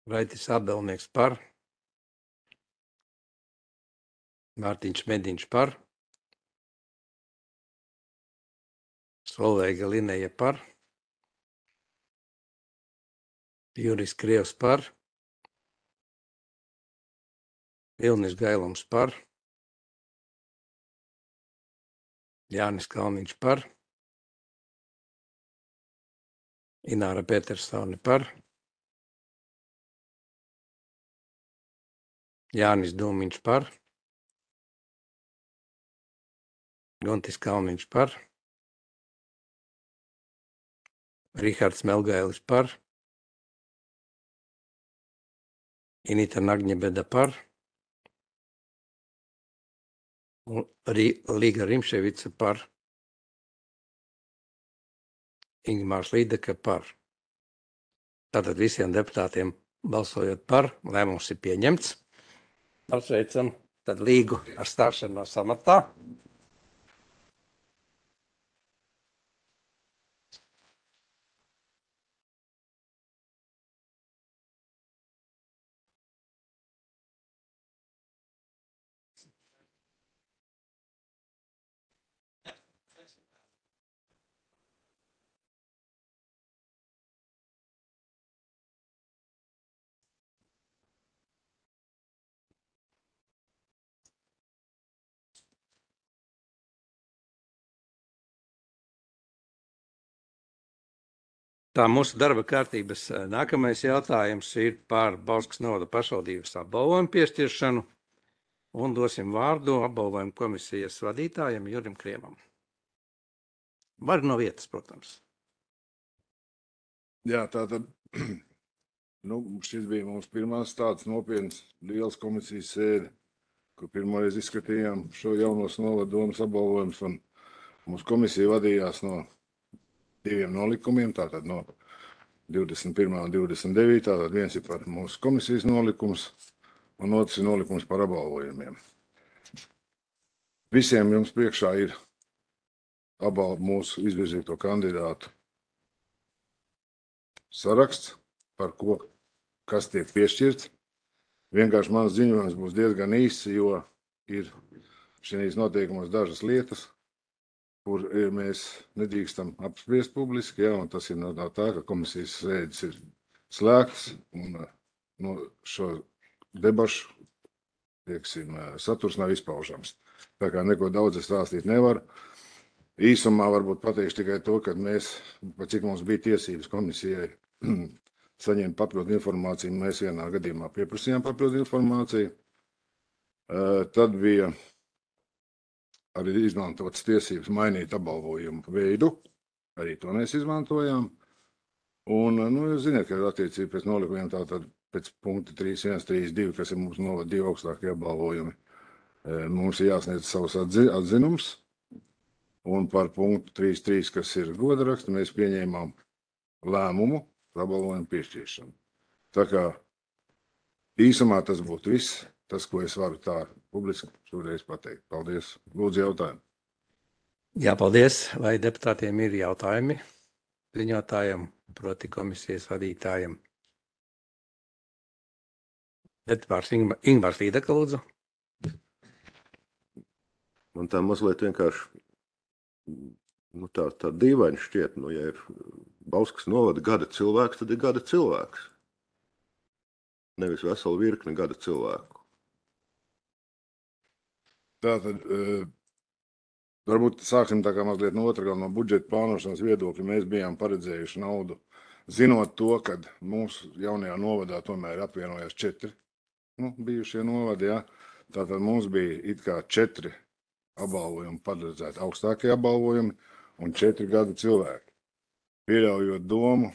Raitis Abelnieks par, Mārtiņš Mediņš par, Solveiga Lineja par, Juris Krievs par, Vilnis Gailums par, Jānis Kalniņš par, Ināra Petersone par, Jānis Dūmiņš par, Guntis Kalniņš par, Rihards Melgailis par, Inita Nagņebeda par, un Līga Rimševica par, Ingmārs Līdeka par. Tātad visiem deputātiem balsojot par, lēmums ir pieņemts. Apsveicam tad Līgu ar stāšanos amatā. Tā mūsu darba kārtības nākamais jautājums ir par Bauskas novada pašvaldības apbalvojumu piešķiršanu, un dosim vārdu apbalvojumu komisijas vadītājam Jurim Kriemam. Var no vietas, protams. Jā, tātad, nu, šis bija mums pirmās tāds nopietns liels komisijas sēde, kur pirmoreiz izskatījām šo jaunos novada domas apbalvojumus, un mūsu komisija vadījās no diviem nolikumiem, tātad no divdesmit pirmā un divdesmit devītā, tātad viens ir par mūsu komisijas nolikums, un otrs ir nolikums par apbalvojumiem. Visiem jums priekšā ir apbalvo mūsu izvirzīto kandidātu saraksts, par ko, kas tiek piešķirts. Vienkārši mans ziņojums būs diezgan īss, jo ir šīs noteikumos dažas lietas, kur mēs nedrīkstam apspriest publiski, ja, un tas ir no tā, ka komisijas sēdes ir slēgts, un no šo debašu, tieksim, saturs nav izpaužams. Tā kā neko daudz es stāstīt nevaru. Īsumā varbūt pateikšu tikai to, ka mēs, pa cik mums bija tiesības komisijai saņemt papildu informāciju, mēs vienā gadījumā pieprasījām papildu informāciju. Tad bija arī izmantotas tiesības mainīt apbalvojumu veidu, arī to mēs izmantojām. Un, nu, jūs zināt, ka attiecīgi pēc nolikumiem tātad pēc punkta trīs viens trīs divi, kas ir mums novada divi augstākie apbalvojumi, mums ir jāsniedz savus atzinums. Un par punktu trīs trīs, kas ir godaraksti, mēs pieņēmām lēmumu par apbalvojumu piešķiršanu. Tā kā īsumā tas būtu viss. Tas, ko es varu tā publiski šoreiz pateikt. Paldies. Lūdzu jautājumu. Jā, paldies. Vai deputātiem ir jautājumi ziņotājiem, proti komisijas vadītājiem? Deputāts Ingmārs Līdeka, lūdzu. Man tā mazliet vienkārši nu, tā, tā dīvaini šķiet, nu, ja ir Bauskas novada gada cilvēks, tad ir gada cilvēks. Nevis vesela virkne gada cilvēku. Tātad, varbūt sāksim tā kā mazliet no otra, no budžeta plānošanas viedokļa. Mēs bijām paredzējuši naudu, zinot to, ka mūsu jaunajā novadā tomēr apvienojās četri nu, bijušie novadi. Ja? Tātad mums bija it kā četri apbalvojumi paredzēti, augstākie apbalvojumi un četri gadu cilvēki. Pieļaujot domu,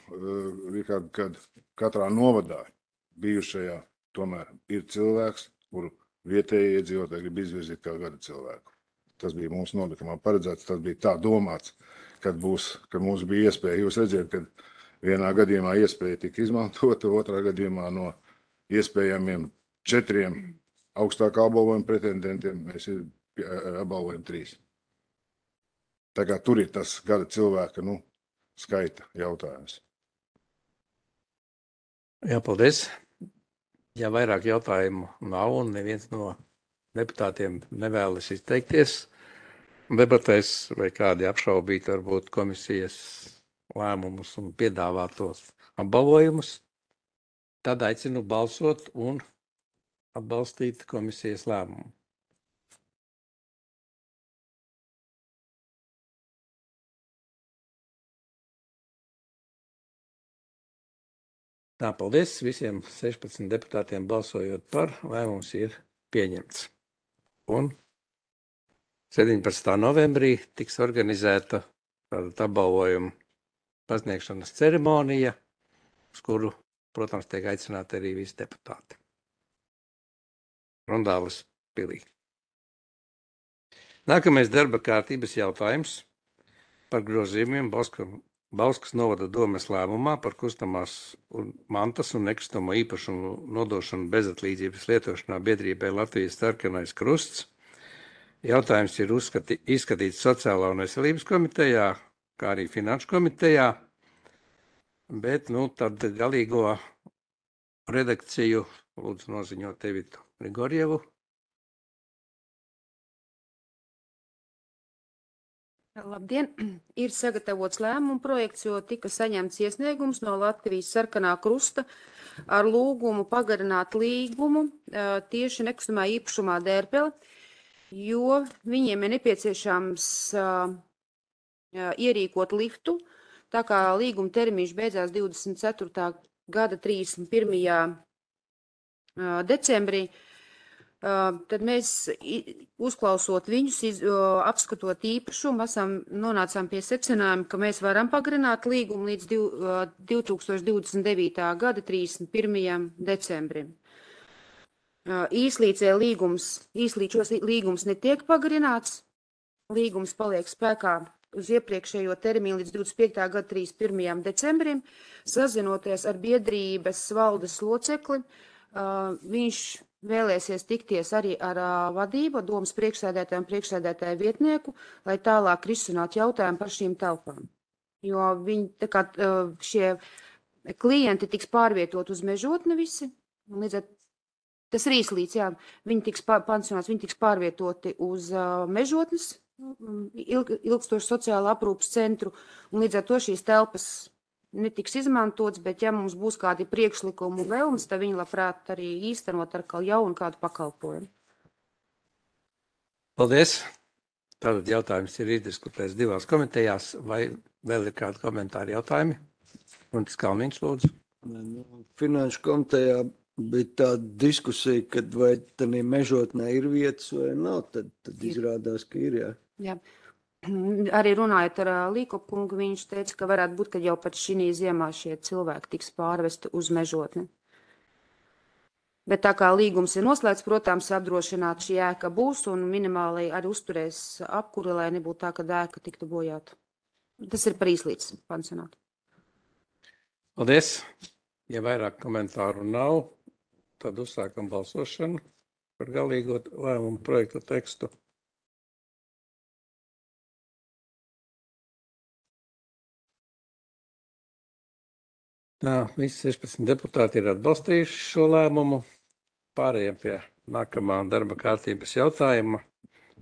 Rikārd, kad katrā novadā bijušajā tomēr ir cilvēks, kuru vietējie iedzīvotāji grib izvirzīt kā gada cilvēku. Tas bija mūsu nolikumā paredzēts, tas bija tā domāts, kad, būs, kad mums bija iespēja. Jūs redziet, ka vienā gadījumā iespēja tika izmantota, otrā gadījumā no iespējamiem četriem augstākā apbalvojuma pretendentiem mēs apbalvojam trīs. Tā kā tur ir tas gada cilvēka nu, skaita jautājums. Jā, paldies. Ja vairāk jautājumu nav un neviens no deputātiem nevēlas izteikties debatēs vai kādi apšaubīt varbūt komisijas lēmumus un piedāvātos apbalvojumus, tad aicinu balsot un atbalstīt komisijas lēmumu. Tā, paldies visiem sešpadsmit deputātiem balsojot par, lēmums ir pieņemts. Un sedempadsmitā novembrī tiks organizēta tāda apbalvojuma pasniegšanas ceremonija, uz kuru, protams, tiek aicināti arī visi deputāti. Rondāles pilī. Nākamais darba kārtības jautājums par grozījumiem Bauskas, Bauskas novada domes lēmumā par kustamās un mantas un nekustamo īpašumu nodošanu bezatlīdzības lietošanā biedrībai Latvijas sarkanais krusts. Jautājums ir uzskati, izskatīts Sociālā un veselības komitejā, kā arī Finanšu komitejā, bet, nu, tad galīgo redakciju lūdzu noziņot Evitu Grigorjevu. Labdien! Ir sagatavots lēmumu projekts, jo tika saņemts iesniegums no Latvijas sarkanā krusta ar lūgumu pagarināt līgumu tieši nekustamā īpašumā Dērpele, jo viņiem ir nepieciešams ierīkot liftu, tā kā līguma termiņš beidzās divdesmit ceturtā gada trīsdesmit pirmajā decembrī. Tad mēs, uzklausot viņus, iz, apskatot īpašumu, esam nonācām pie secinājuma, ka mēs varam pagarināt līgumu līdz div tūkstoši divdesmit devītā gada trīsdesmit pirmajam decembrim. Īslīdzē līgums, īslīčos līgums netiek pagarināts, līgums paliek spēkā uz iepriekšējo termiņu līdz divdesmit piektā gada trīsdesmit pirmajam decembrim, sazinoties ar biedrības valdes locekli, viņš vēlēsies tikties arī ar vadību, domas priekšsēdētāju un priekšsēdētāju vietnieku, lai tālāk risinātu jautājumu par šīm telpām. Jo viņi, tā kā šie klienti tiks pārvietot uz Mežotni visi, un līdz ar tas ir īslīdz, jā, viņi tiks pansionāts, viņi tiks pārvietoti uz Mežotnes ilg, ilgstošu sociālu aprūpas centru, un līdz ar to šīs telpas netiks izmantots, bet ja mums būs kādi priekšlikumu vēlmes, tad viņi labprāt arī īstenot ar jaunu kādu pakalpojumu. Paldies! Tātad jautājums ir izdiskutēts divās komitejās, vai vēl ir kādi komentāri jautājumi? Un tas Kalniņš, lūdzu. Finanšu komitejā bija tāda diskusija, kad vai tādā Mežotnē ir vietas vai nav, tad, tad izrādās, ka ir, jā. Jā. Arī runājot ar Līkopu kungu, viņš teica, ka varētu būt, ka jau pat šī ziemā šie cilvēki tiks pārvesti uz Mežotni. Bet tā kā līgums ir noslēgts, protams, apdrošināt šī ēka būs un minimāli arī uzturēs apkuri, lai nebūtu tā, ka ēka tiktu bojāta. Tas ir par īslīdz pansionātu. Paldies! Ja vairāk komentāru nav, tad uzsākam balsošanu par galīgo lēmumu projektu tekstu. Tā, visi sešpadsmit deputāti ir atbalstījuši šo lēmumu. Pārējiem pie nākamā darba kārtības jautājuma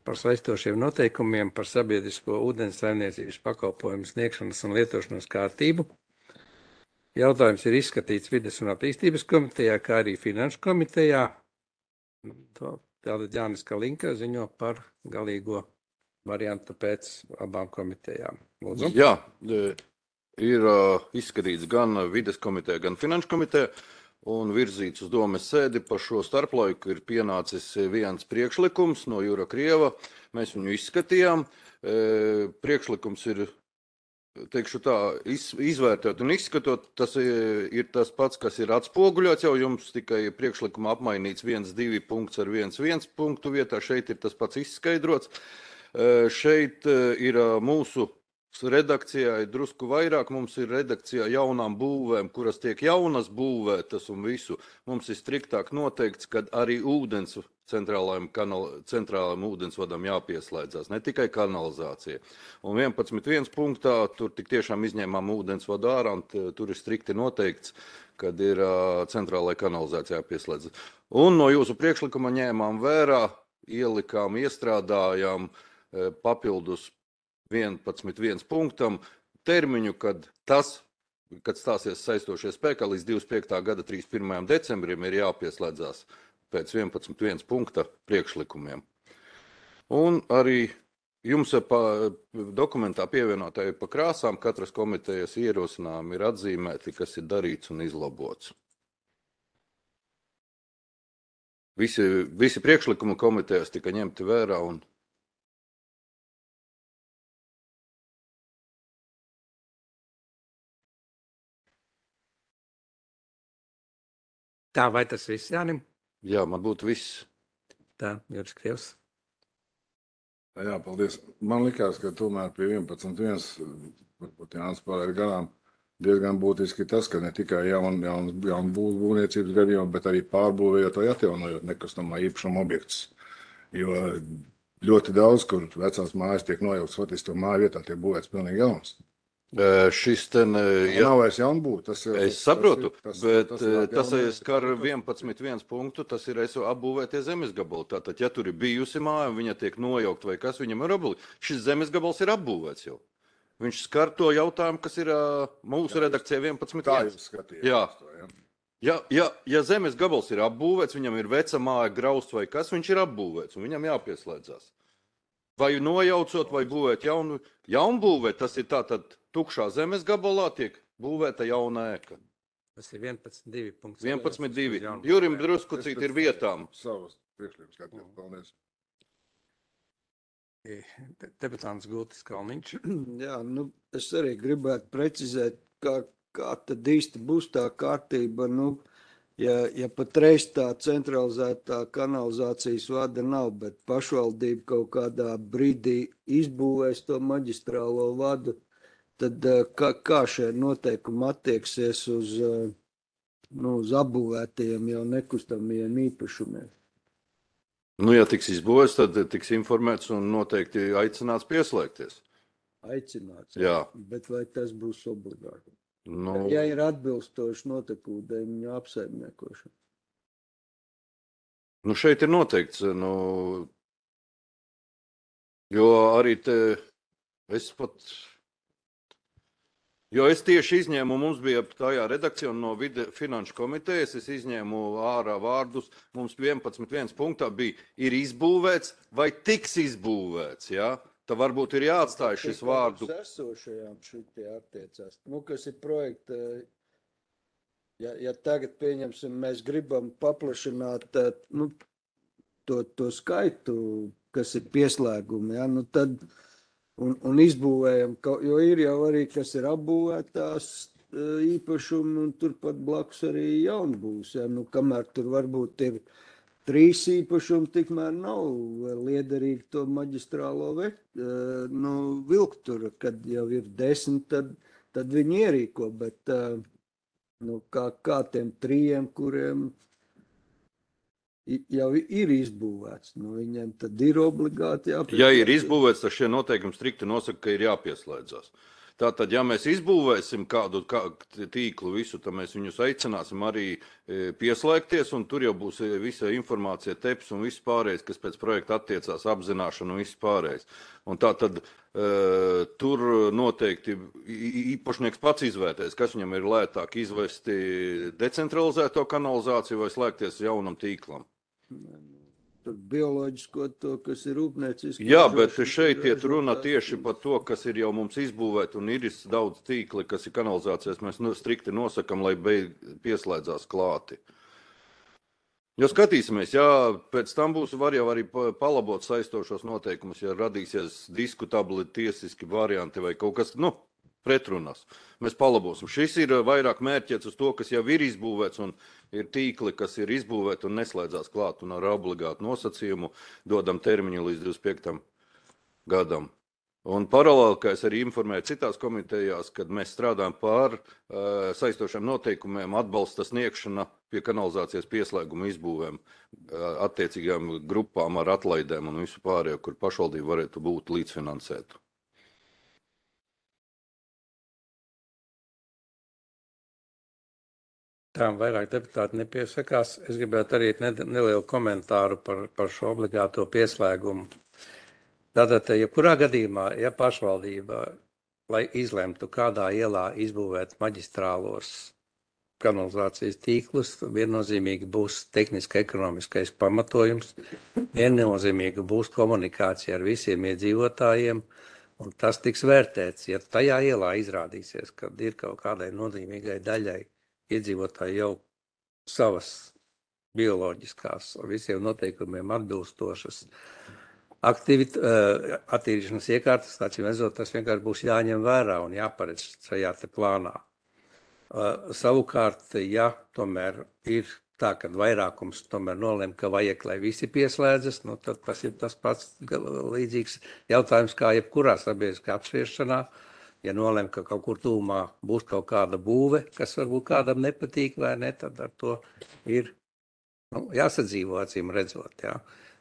par saistošiem noteikumiem par sabiedrisko ūdens saimniecības pakalpojumu sniegšanas un lietošanas kārtību. Jautājums ir izskatīts Vides un attīstības komitejā, kā arī Finanšu komitejā. Tātad Jānis Kalinka ziņo par galīgo variantu pēc abām komitejām. Lūdzu. Jā, ir uh, izskatīts gan Vides komiteja, gan Finanšu komiteja un virzīts uz domes sēdi. Par šo starplaiku ir pienācis viens priekšlikums no Jura Krieva. Mēs viņu izskatījām. E, priekšlikums ir, teikšu tā, iz, izvērtēt un izskatot. Tas ir, ir tas pats, kas ir atspoguļots jau jums, tikai priekšlikuma apmainīts viens, divi punkts ar viens, viens punktu vietā. Šeit ir tas pats izskaidrots. E, šeit ir mūsu redakcijā ir drusku vairāk, mums ir redakcijā jaunām būvēm, kuras tiek jaunas būvētas un visu. Mums ir striktāk noteikts, ka arī ūdens centrālajam, kanal, centrālajam ūdensvadam jāpieslēdzās, ne tikai kanalizācija. Un vienpadsmit viens punktā tur tik tiešām izņēmām ūdensvadu ārā, un tur ir strikti noteikts, kad ir uh, centrālajai kanalizācijā jāpieslēdzas. Un no jūsu priekšlikuma ņēmām vērā, ielikām, iestrādājām uh, papildus vienpadsmit viens punktam termiņu, kad tas, kad stāsies saistošie spēkā līdz divdesmit piektā gada trīsdesmit pirmajam decembrim ir jāpieslēdzās pēc vienpadsmit viens punkta priekšlikumiem. Un arī jums pa dokumentā pievienotāji pa krāsām katras komitejas ierosinājumi ir atzīmēti, kas ir darīts un izlabots. Visi, visi priekšlikumi komitejas tika ņemti vērā un Tā, vai tas viss, Jānim? jā, man būtu viss. Tā, Juris Krievs. Jā, paldies. Man likās, ka tomēr pie vienpadsmit viens, varbūt Jānis pārēd garām, diezgan būtiski tas, ka ne tikai jaun, jaun, jaun būvniecības gadījumā, bet arī pārbūvējot vai atjaunojot nekustamā īpašuma objektus. Jo ļoti daudz, kur vecās mājas tiek nojauktas, faktiski to māju vietā tiek būvēts pilnīgi jauns. Uh, šis ten, uh, ja, nav vairs jaunbūve. Tas ir, es saprotu, tas, bet tas, tas, tas, tas skar vienpadsmit viens punktu, tas ir es apbūvētie zemes gabali. Tātad, ja tur ir bijusi māja un viņa tiek nojaukt vai kas, viņam ir obli. Šis zemes gabals ir apbūvēts jau. Viņš skar to jautājumu, kas ir uh, mūsu jā, redakcijā vienpadsmit viens. Tā jūs skatījāt. Jā. To, jā. Ja, ja, ja zemes gabals ir apbūvēts, viņam ir veca māja, grausts vai kas, viņš ir apbūvēts un viņam jāpieslēdzās. Vai nojaucot, vai būvēt jaunu, jaunbūvēt, tas ir tātad tukšā zemes gabalā tiek būvēta jauna ēka. Tas ir vienpadsmit divi punkts. vienpadsmit divi. Jurim drusku cik ir vietām. Savas priekšlikums skatījāt. Paldies. Deputāns Gultis Kalniņš. Jā, nu, es arī gribētu precizēt, kā, kā tad īsti būs tā kārtība. Nu, ja, ja patreiz tā centralizētā kanalizācijas vada nav, bet pašvaldība kaut kādā brīdī izbūvēs to maģistrālo vadu, tad kā, kā šie noteikumi attieksies uz, nu, uz apbūvētajiem jau nekustamiem īpašumiem? Nu, ja tiks izbūvēts, tad tiks informēts un noteikti aicināts pieslēgties. Aicināts, jā. Bet vai tas būs obligāti? Nu, ja ir atbilstoši notekūdeņu apsaimniekošana. Nu, šeit ir noteikts, nu, jo arī te es pat, jo es tieši izņēmu, mums bija tajā redakcija no vide finanšu komitejas, es izņēmu ārā vārdus, mums vienpadsmit viens punktā bija, ir izbūvēts vai tiks izbūvēts, jā? Tā varbūt ir jāatstāj šis vārdu. Esošajām šitie attiecās. Nu, kas ir projekta, ja, ja tagad pieņemsim, mēs gribam paplašināt nu, to, to skaitu, kas ir pieslēgumi, ja, nu tad, un, un izbūvējam, jo ir jau arī, kas ir apbūvētās īpašumi, un turpat blakus arī jaunbūs, ja, nu, kamēr tur varbūt ir trīs īpašumi, tikmēr nav liederīgi to maģistrālo vekt, nu, vilkt tur, kad jau ir desmit, tad, tad viņi ierīko, bet nu, kā, kā tiem trījiem, kuriem jau ir izbūvēts, nu, viņiem tad ir obligāti jāpieslēdzas. Ja ir izbūvēts, tad šie noteikumi strikti nosaka, ka ir jāpieslēdzās. Tātad, ja mēs izbūvēsim kādu kā, tīklu visu, tad mēs viņus aicināsim arī e, pieslēgties, un tur jau būs visa informācija, teps un viss pārējais, kas pēc projekta attiecās, apzināšana un viss pārējais. Un tātad e, tur noteikti īpašnieks pats izvērtēs, kas viņam ir lētāk izvesti decentralizēto kanalizāciju vai slēgties jaunam tīklam. Tur bioloģisko to, kas ir rūpnieciski. Jā, bet šeit iet runa tieši par to, kas ir jau mums izbūvēt, un ir daudz tīkli, kas ir kanalizācijas, mēs strikti nosakam, lai beig pieslēdzās klāti. Jo skatīsimies, jā, pēc tam būs var jau arī palabot saistošos noteikumus, ja radīsies diskutabli tiesiski varianti vai kaut kas, nu, pretrunas. Mēs palabosim. Šis ir vairāk mērķēts uz to, kas jau ir izbūvēts un ir tīkli, kas ir izbūvēti un neslēdzās klāt un ar obligātu nosacījumu dodam termiņu līdz divdesmit piektam gadam. Un paralēli, kā es arī informēju citās komitejās, kad mēs strādājam pār uh, saistošiem noteikumiem, atbalsta sniegšana pie kanalizācijas pieslēguma izbūvēm uh, attiecīgām grupām ar atlaidēm un visu pārējo, kur pašvaldība varētu būt līdzfinansētu. Tā vairāk deputāti nepiesakās. Es gribētu arī nelielu komentāru par, par šo obligāto pieslēgumu. Tātad, ja kurā gadījumā, ja pašvaldība, lai izlemtu, kādā ielā izbūvēt maģistrālos kanalizācijas tīklus, viennozīmīgi būs tehniski ekonomiskais pamatojums, viennozīmīgi būs komunikācija ar visiem iedzīvotājiem, un tas tiks vērtēts. Ja tajā ielā izrādīsies, ka ir kaut kādai nozīmīgai daļai iedzīvotāji jau savas bioloģiskās visiem noteikumiem atbilstošas aktivit, attīrīšanas iekārtas, acīm redzot, tas vienkārši būs jāņem vērā un jāparedz šajā te plānā. Savukārt, ja tomēr ir tā, ka vairākums tomēr nolem, ka vajag, lai visi pieslēdzas, nu, tad tas ir tas pats līdzīgs jautājums kā jebkurā sabiedriskā apspriešanā. Ja nolem, ka kaut kur tūmā būs kaut kāda būve, kas varbūt kādam nepatīk vai ne, tad ar to ir nu, jāsadzīvo, acīm redzot. Jā.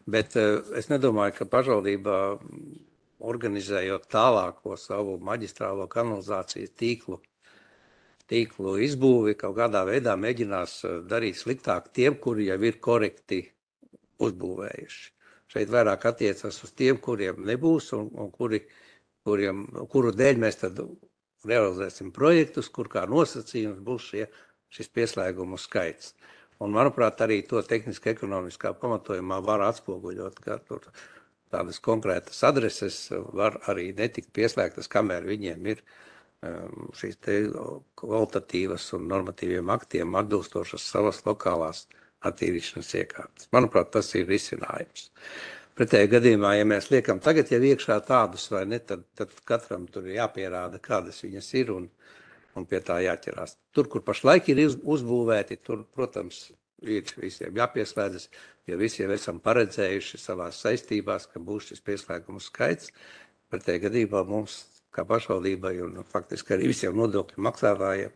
Bet uh, es nedomāju, ka pašvaldībā organizējot tālāko savu maģistrālo kanalizācijas tīklu, tīklu izbūvi, kaut kādā veidā mēģinās darīt sliktāk tiem, kuri jau ir korekti uzbūvējuši. Šeit vairāk attiecas uz tiem, kuriem nebūs un, un kuri, kuriem, kuru dēļ mēs tad realizēsim projektus, kur kā nosacījums būs šie, šis pieslēgumu skaits. Un, manuprāt, arī to tehniski ekonomiskā pamatojumā var atspoguļot, ka tur tādas konkrētas adreses var arī netikt pieslēgtas, kamēr viņiem ir um, šīs te kvalitatīvas un normatīviem aktiem atbilstošas savas lokālās attīrīšanas iekārtas. Manuprāt, tas ir risinājums. Pretējā gadījumā, ja mēs liekam tagad jau iekšā tādus vai ne, tad, tad katram tur ir jāpierāda, kādas viņas ir un un pie tā jāķerās. Tur, kur pašlaik ir uzbūvēti, tur, protams, ir visiem jāpieslēdzas, jo visiem esam paredzējuši savās saistībās, ka būs šis pieslēgumu skaits. Pretējā gadījumā mums, kā pašvaldībai un faktiski arī visiem nodokļu maksātājiem,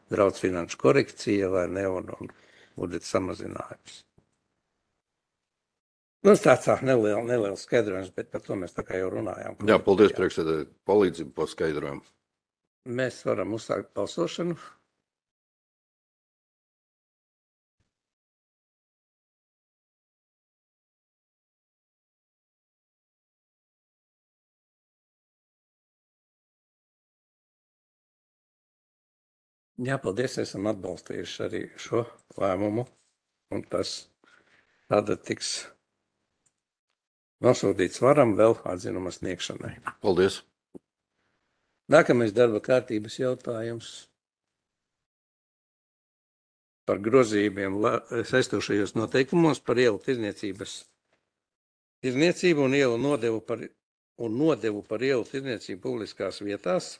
draudz finanšu korekcija vai ne, un, un budžeta samazinājums. Nu, tāds tā neliels, neliels skaidrojums, bet par to mēs tā kā jau runājām. Jā, paldies, priekšsēdētāji, palīdzību par skaidrojumu. Mēs varam uzsākt balsošanu. Jā, paldies, esam atbalstījuši arī šo lēmumu, un tas tāda tiks nosūtīts varam vēl atzinuma sniegšanai. Paldies. Nākamais darba kārtības jautājums par grozījumiem saistošajos noteikumos par ielu tirdzniecības tirdzniecību un ielu nodevu par, un nodevu par ielu tirdzniecību publiskās vietās.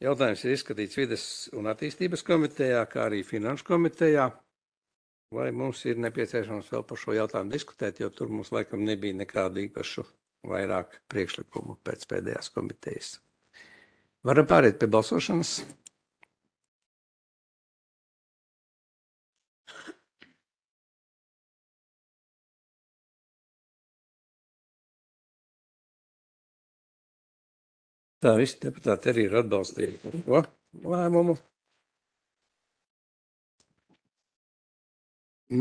Jautājums ir izskatīts Vides un attīstības komitejā, kā arī Finanšu komitejā. Vai mums ir nepieciešams vēl par šo jautājumu diskutēt, jo tur mums laikam nebija nekādu īpašu vairāk priekšlikumu pēc pēdējās komitejas. Varam pāriet pie balsošanas. Tā visi deputāti arī ir atbalstījuši šo lēmumu.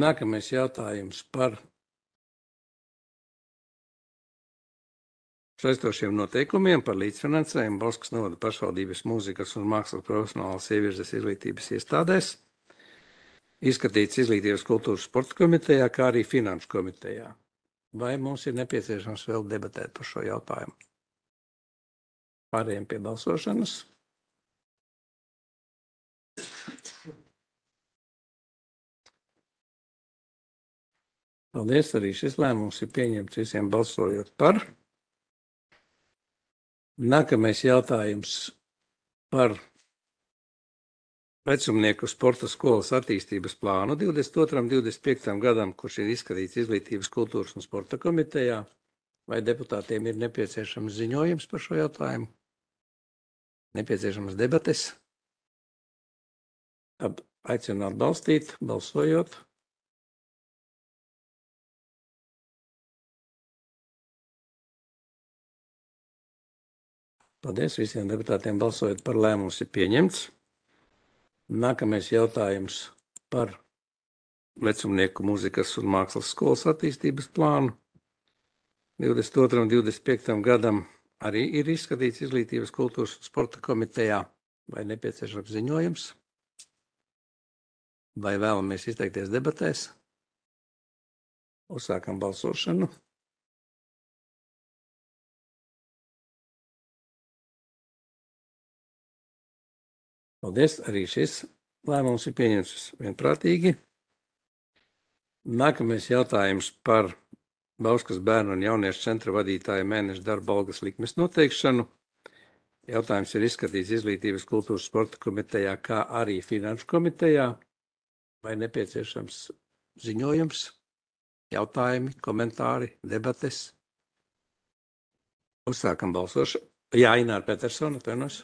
Nākamais jautājums par saistošiem noteikumiem par līdzfinansējumu Bauskas novada pašvaldības mūzikas un mākslas profesionālas ievirzes izglītības iestādēs, izskatīts Izglītības kultūras sporta komitejā, kā arī Finanšu komitejā. Vai mums ir nepieciešams vēl debatēt par šo jautājumu? Pārējiem pie balsošanas. Paldies, arī šis lēmums ir pieņemts visiem balsojot par. Nākamais jautājums par vecumnieku sporta skolas attīstības plānu divdesmit otram divdesmit piektam gadam, kurš ir izskatīts Izglītības kultūras un sporta komitejā. Vai deputātiem ir nepieciešams ziņojums par šo jautājumu? Nepieciešams debates? Aicinu atbalstīt, balsojot. Paldies visiem deputātiem balsojot par lēmums ir pieņemts. Nākamais jautājums par vecumnieku mūzikas un mākslas skolas attīstības plānu. divdesmit otram divdesmit piektam gadam arī ir izskatīts Izglītības kultūras un sporta komitejā. Vai nepieciešams ziņojums? Vai vēlamies izteikties debatēs? Uzsākam balsošanu. Paldies, arī šis lēmums ir pieņemts vienprātīgi. Nākamais jautājums par Bauskas bērnu un jauniešu centra vadītāja mēneša darba algas likmes noteikšanu. Jautājums ir izskatīts Izglītības, kultūras, sporta komitejā, kā arī Finanšu komitejā. Vai nepieciešams ziņojums, jautājumi, komentāri, debates? Uzsākam balsošanu. Jā, Ināra Petersona, atvainojos.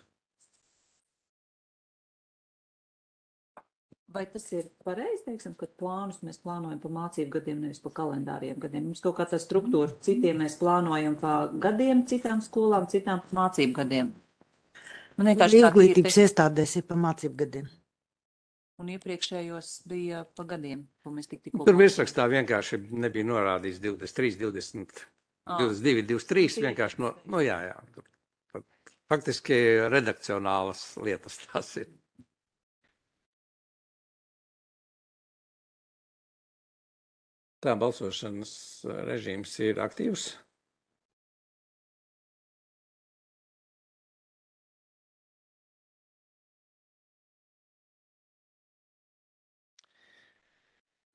Vai tas ir pareizi, teiksim, ka plānus mēs plānojam pa mācību gadiem, nevis pa kalendāriem gadiem? Mums kaut kā tā struktūra, citiem mēs plānojam pa gadiem, citām skolām, citām pa mācību gadiem. Man vienkārši tā Izglītības iestādēs ir pa mācību gadiem. Un iepriekšējos bija pa gadiem, ko mēs tik tikko... Tur virsrakstā vienkārši nebija norādīts divdesmit trīs, divdesmit, divdesmit divi, divdesmit trīs, vienkārši no, no jā, jā. Tur faktiski redakcionālas lietas tās ir. Tā balsošanas režīms ir aktīvs.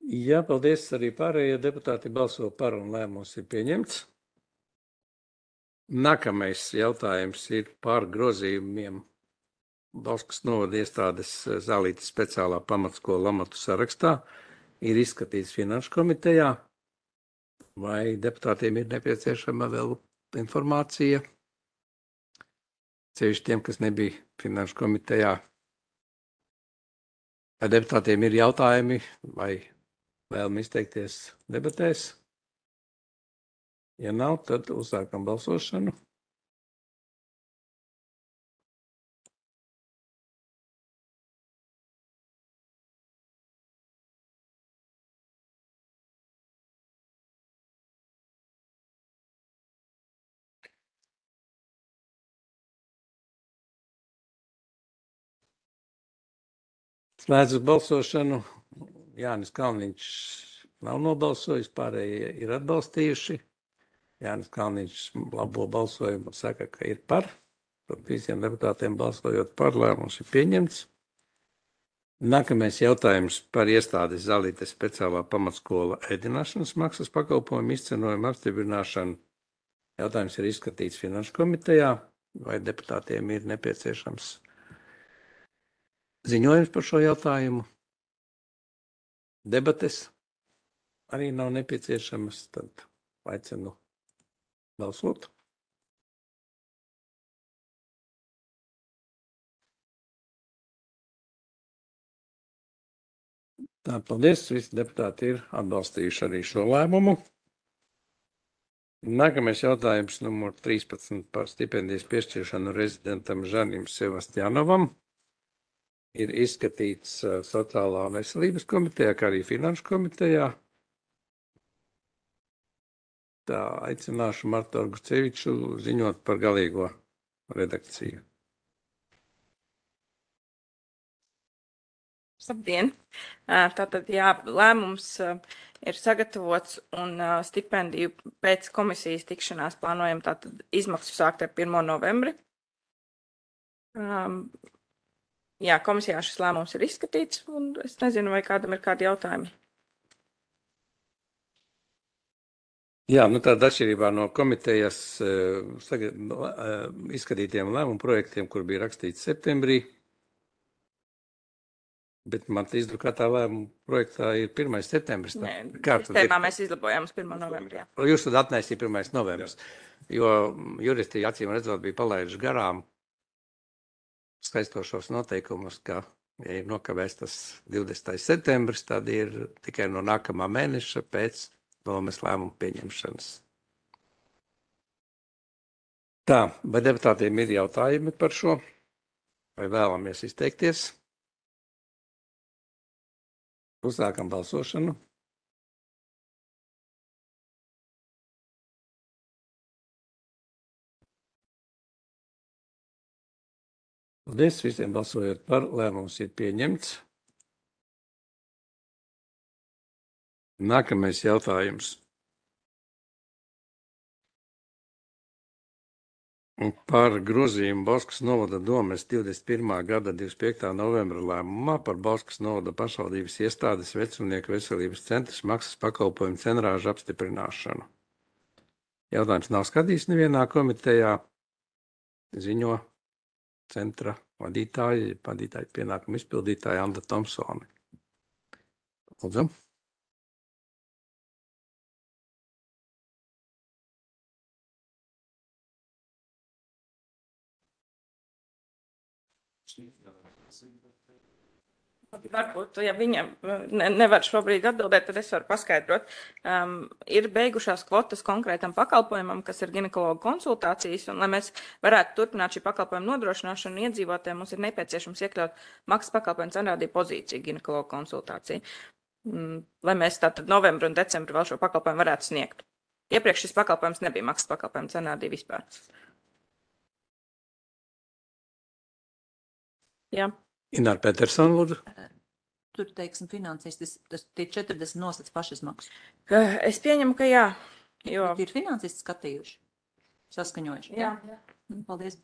Jā, paldies, arī pārējie deputāti balso par un lēmums ir pieņemts. Nākamais jautājums ir par grozījumiem Bauskas novada iestādes Zālītes speciālā pamatskola amatu sarakstā. Ir izskatīts Finanšu komitejā. Vai deputātiem ir nepieciešama vēl informācija? Ceļš tiem, kas nebija Finanšu komitejā. Vai deputātiem ir jautājumi vai vēlam izteikties debatēs? Ja nav, tad uzsākam balsošanu. Slēdzu balsošanu. Jānis Kalniņš nav nobalsojis, pārējie ir atbalstījuši. Jānis Kalniņš labo balsojumu saka, ka ir par. Tad visiem deputātiem balsojot par, lēmums ir pieņemts. Nākamais jautājums par iestādes Zālītes speciālā pamatskola ēdināšanas maksas pakalpojumu izcenojumu apstiprināšanu. Jautājums ir izskatīts Finanšu komitejā. Vai deputātiem ir nepieciešams ziņojums par šo jautājumu? Debates arī nav nepieciešamas, tad aicinu balsot. Tā, paldies, visi deputāti ir atbalstījuši arī šo lēmumu. Nākamais jautājums numur trīspadsmit par stipendijas piešķiršanu rezidentam Žanim Sebastianovam. Ir izskatīts Sociālā veselības komitejā, kā arī Finanšu komitejā. Tā, aicināšu Martu Arguceviču ziņot par galīgo redakciju. Labdien! Tātad, jā, lēmums ir sagatavots un stipendiju pēc komisijas tikšanās plānojam tātad izmaksu sākt ar pirmo novembri. Um, jā, komisijā šis lēmums ir izskatīts un es nezinu, vai kādam ir kādi jautājumi. Jā, nu tāda atšķirībā no komitejas uh, saga, uh, izskatītiem lēmumu projektiem, kur bija rakstīts septembrī, bet man izdrukātā lēmuma projektā ir pirmais septembris. Nē, sistēmā mēs izlabojām uz pirmo novembri. Jā. Jūs tad atnēsīja pirmais novembris, jo juristi acīm redzot bija palaiduši garām skaistošos noteikumus, ka, ja ir nokavēs tas divdesmitais septembris, tad ir tikai no nākamā mēneša pēc domes lēmumu pieņemšanas. Tā, vai deputātiem ir jautājumi par šo? Vai vēlamies izteikties? Uzsākam balsošanu. Paldies, visiem balsojot par, lēmums ir pieņemts. Nākamais jautājums. Par grozījumu Bauskas novada domes divdesmit pirmā gada divdesmit piektā novembra lēmumā par Bauskas novada pašvaldības iestādes vecumnieku veselības centras maksas pakalpojumu cenrāžu apstiprināšanu. Jautājums nav skatīts nevienā komitejā. Ziņo centra vadītāja, vadītāja pienākumu izpildītāja Anda Tomsone. Lūdzu. Varbūt, ja viņa ne, nevar šobrīd atbildēt, tad es varu paskaidrot. Um, ir beigušās kvotas konkrētam pakalpojumam, kas ir ginekologa konsultācijas, un lai mēs varētu turpināt šī pakalpojuma nodrošināšanu iedzīvotājiem, mums ir nepieciešams iekļaut maksas pakalpojumu cenrādību pozīciju ginekologa konsultāciju, um, lai mēs tātad novembru un decembru vēl šo pakalpojumu varētu sniegt. Iepriekš šis pakalpojums nebija maksas pakalpojumu cenrādība vispār. Jā. Ināra Petersona, lūdzu. Tur, teiksim, finansīs, tas, tas tie četrdesmit nosacīts pašizmaksu. Es pieņemu, ka jā. Jo... Ir finansisti skatījuši, saskaņojuši. Jā. jā. Paldies.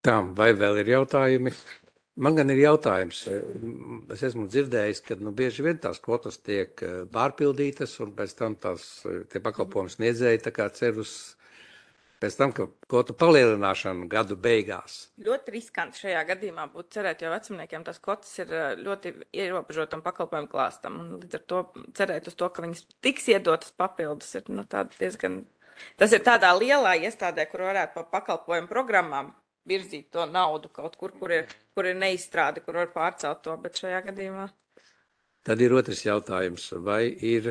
Tā, vai vēl ir jautājumi? Man gan ir jautājums. Es esmu dzirdējis, ka nu, bieži vien tās kvotas tiek pārpildītas, un pēc tam tās tie pakalpojums sniedzēji tā kā cer uz pēc tam, ka kvotu palielināšanu gadu beigās. Ļoti riskanti šajā gadījumā būtu cerēt, jo vecumniekiem tās kvotas ir ļoti ierobežotam pakalpojumu klāstam. Un līdz ar to cerēt uz to, ka viņas tiks iedotas papildus, ir nu, diezgan... Tas ir tādā lielā iestādē, kur varētu pa pakalpojumu programmām virzīt to naudu kaut kur, kur ir, kur ir neizstrādi, kur var pārcelt to, bet šajā gadījumā... Tad ir otrs jautājums, vai ir,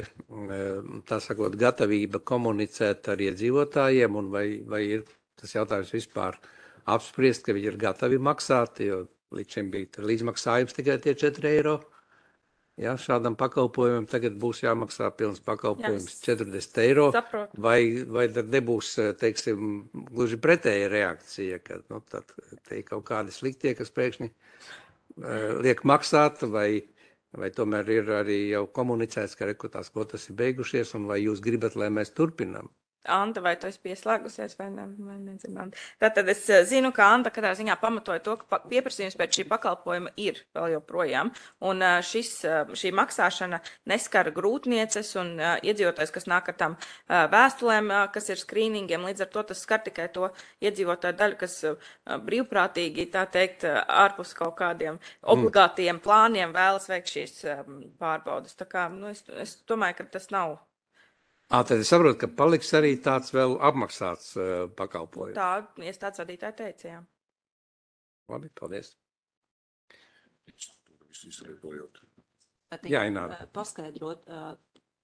tā sakot, gatavība komunicēt ar iedzīvotājiem, un vai, vai ir tas jautājums vispār apspriest, ka viņi ir gatavi maksāt, jo līdz šim bija līdzmaksājums tikai tie četri eiro. Jā, šādam pakalpojumam tagad būs jāmaksā pilns pakalpojums Jā, četrdesmit eiro, saprotu. vai, vai tad nebūs, teiksim, gluži pretēja reakcija, ka nu, tad te ir kaut kādi sliktie, kas pēkšņi uh, liek maksāt, vai Vai tomēr ir arī jau komunicēts, ka rekrutās kvotas ir beigušies, un vai jūs gribat, lai mēs turpinām? Anta, vai tu esi pieslēgusies vai ne? Vai nezinu. Tātad es zinu, ka Anta katrā ziņā pamatoja to, ka pieprasījums pēc šī pakalpojuma ir vēl joprojām. Un šis, šī maksāšana neskar grūtnieces un iedzīvotājs, kas nāk ar tām vēstulēm, kas ir skrīningiem. Līdz ar to tas skar tikai to iedzīvotāju daļu, kas brīvprātīgi, tā teikt, ārpus kaut kādiem obligātiem plāniem vēlas veikt šīs pārbaudas. Tā kā, nu, es, es domāju, ka tas nav. Ā, tad es saprotu, ka paliks arī tāds vēl apmaksāts uh, pakalpojums. Tā iestādes vadītāja teica, jā. Labi, paldies. Jā, Ināra. Paskaidrot,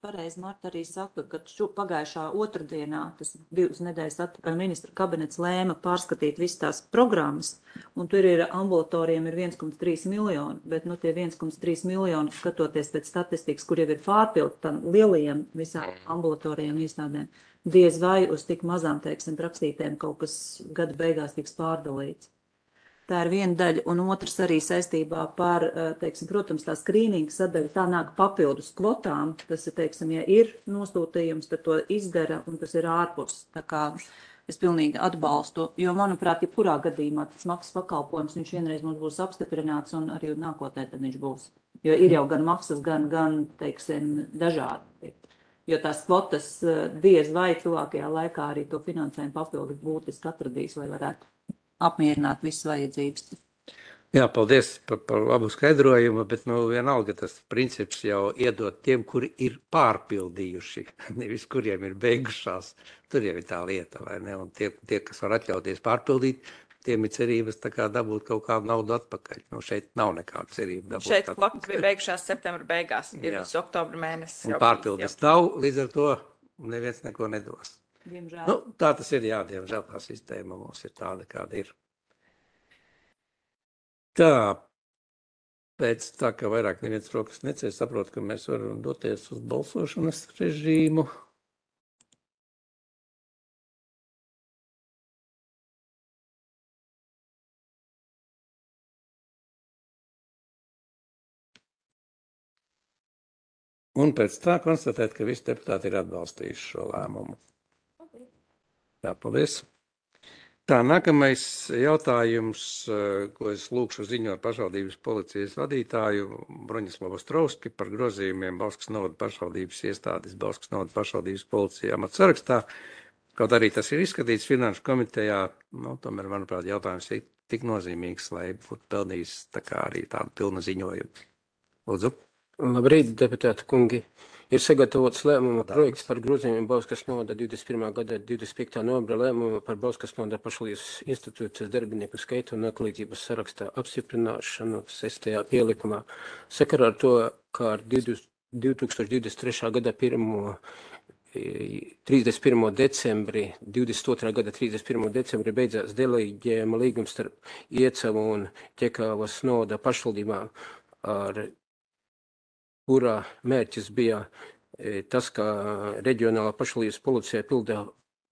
pareizi Marta arī saka, ka šo pagājušā otrdienā, tas divas nedēļas atpakaļ ministra kabinets lēma pārskatīt visas tās programmas, un tur ir ambulatoriem ir viens komats trīs miljoni, bet nu tie viens komats trīs miljoni, skatoties pēc statistikas, kur jau ir pārpildi tam lielajiem visām ambulatorijiem iestādēm, diez vai uz tik mazām, teiksim, rakstītēm kaut kas gada beigās tiks pārdalīts. Tā ir viena daļa, un otrs arī saistībā par, teiksim, protams, tā skrīninga sadaļa, tā nāk papildus kvotām, tas ir, teiksim, ja ir nosūtījums, tad to izdara, un tas ir ārpus, tā kā es pilnīgi atbalstu, jo, manuprāt, ja kurā gadījumā tas maksas pakalpojums, viņš vienreiz mums būs apstiprināts, un arī nākotnē tad viņš būs, jo ir jau gan maksas, gan, gan, teiksim, dažādi, jo tās kvotas diez vai tuvākajā laikā arī to finansējumu papildus būtiski atradīs, lai varētu apmierināt visas vajadzības. Jā, paldies par, par labu skaidrojumu, bet nu, vienalga tas princips jau iedot tiem, kuri ir pārpildījuši, nevis kuriem ir beigušās. Tur jau ir tā lieta, vai ne? Un tie, tie kas var atļauties pārpildīt, tiem ir cerības tā kā dabūt kaut kādu naudu atpakaļ. Nu, šeit nav nekāda cerība dabūt. Šeit kvotas bija beigušās septembra beigās, ir visu oktobra mēnesis. Un pārpildes nav, līdz ar to neviens neko nedos. Diemžēl. Nu, tā tas ir, jā, diemžēl tā sistēma mums ir tāda, kāda ir. Tā, pēc tā, ka vairāk neviens rokas necēs, saprot, ka mēs varam doties uz balsošanas režīmu. Un pēc tā konstatēt, ka visi deputāti ir atbalstījuši šo lēmumu. Jā, paldies. Tā, nākamais jautājums, ko es lūkšu ziņot pašvaldības policijas vadītāju Broņislavu Ostrovski par grozījumiem Bauskas novada pašvaldības iestādes, Bauskas novada pašvaldības policija amata sarakstā. Kaut arī tas ir izskatīts finanšu komitejā, nu, tomēr, manuprāt, jautājums ir tik nozīmīgs, lai būtu pelnījis tā kā arī tādu pilnu ziņojumu. Lūdzu. Labrīt, deputāti kungi. Ir sagatavots lēmuma projekts par grozījumiem Bauskas novada divdesmit pirmā gada divdesmit piektā novembra lēmuma par Bauskas novada pašvaldības institūcijas darbinieku skaitu un atlīdzības sarakstā apstiprināšanu sestajā pielikumā. Sakarā ar to, kā ar divi tūkstoši divdesmit trešā gada pirmo trīsdesmit pirmo decembri, divdesmit otrā gada trīsdesmit pirmo decembri beidzās deleģējuma līgums starp Iecevu un Ķekavas novada pašvaldībām, ar kurā mērķis bija tas, ka reģionālā pašvaldības policija pilda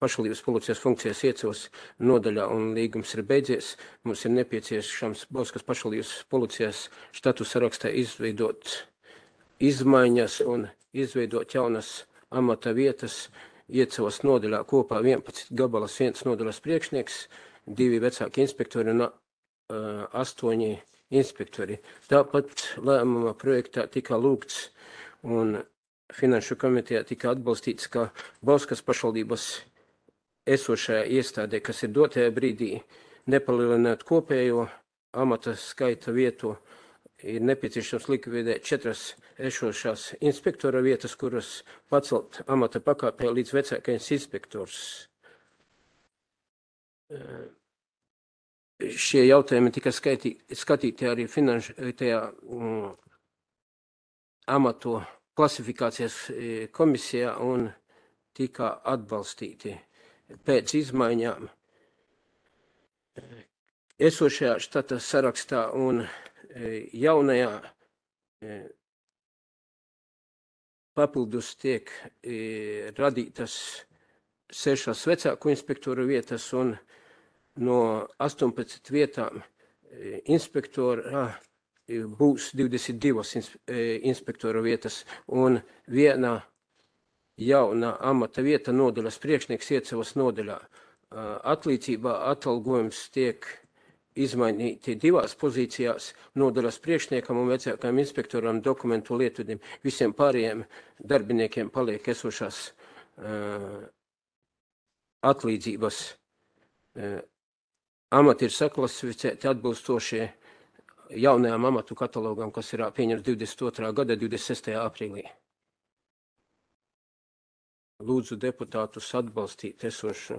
pašvaldības policijas funkcijas Iecavas nodaļā un līgums ir beidzies. Mums ir nepieciešams Bauskas pašvaldības policijas štatu sarakstā izveidot izmaiņas un izveidot jaunas amata vietas Iecavas nodaļā kopā vienpadsmit gabalas, viens nodaļas priekšnieks, divi vecāki inspektori un uh, astoņi inspektori. Tāpat lēmuma projektā tika lūgts un finanšu komitejā tika atbalstīts, ka Bauskas pašvaldības esošajā iestādē, kas ir dotajā brīdī, nepalielināt kopējo amata skaita vietu, ir nepieciešams likvidēt četras esošās inspektora vietas, kuras pacelt amata pakāpē līdz vecākais inspektors. Šie jautājumi tika skaitī, skatīti arī finanšu tajā mm, amatu klasifikācijas komisijā un tika atbalstīti pēc izmaiņām esošajā štata sarakstā un jaunajā papildus tiek radītas sešas vecāku inspektoru vietas un no astoņpadsmit vietām inspektora būs divdesmit divas inspektora vietas un viena jauna amata vieta nodaļas priekšnieks Iecavas nodaļā. Atlīdzībā atalgojums tiek izmainīti divās pozīcijās nodaļas priekšniekam un vecākajam inspektoram dokumentu lietvedim. Visiem pārējiem darbiniekiem paliek esošās uh, atlīdzības. Uh, amati ir saklasificēti atbilstoši jaunajām amatu katalogam, kas ir pieņemts divdesmit otrā gada divdesmit sestajā aprīlī. Lūdzu deputātus atbalstīt esošo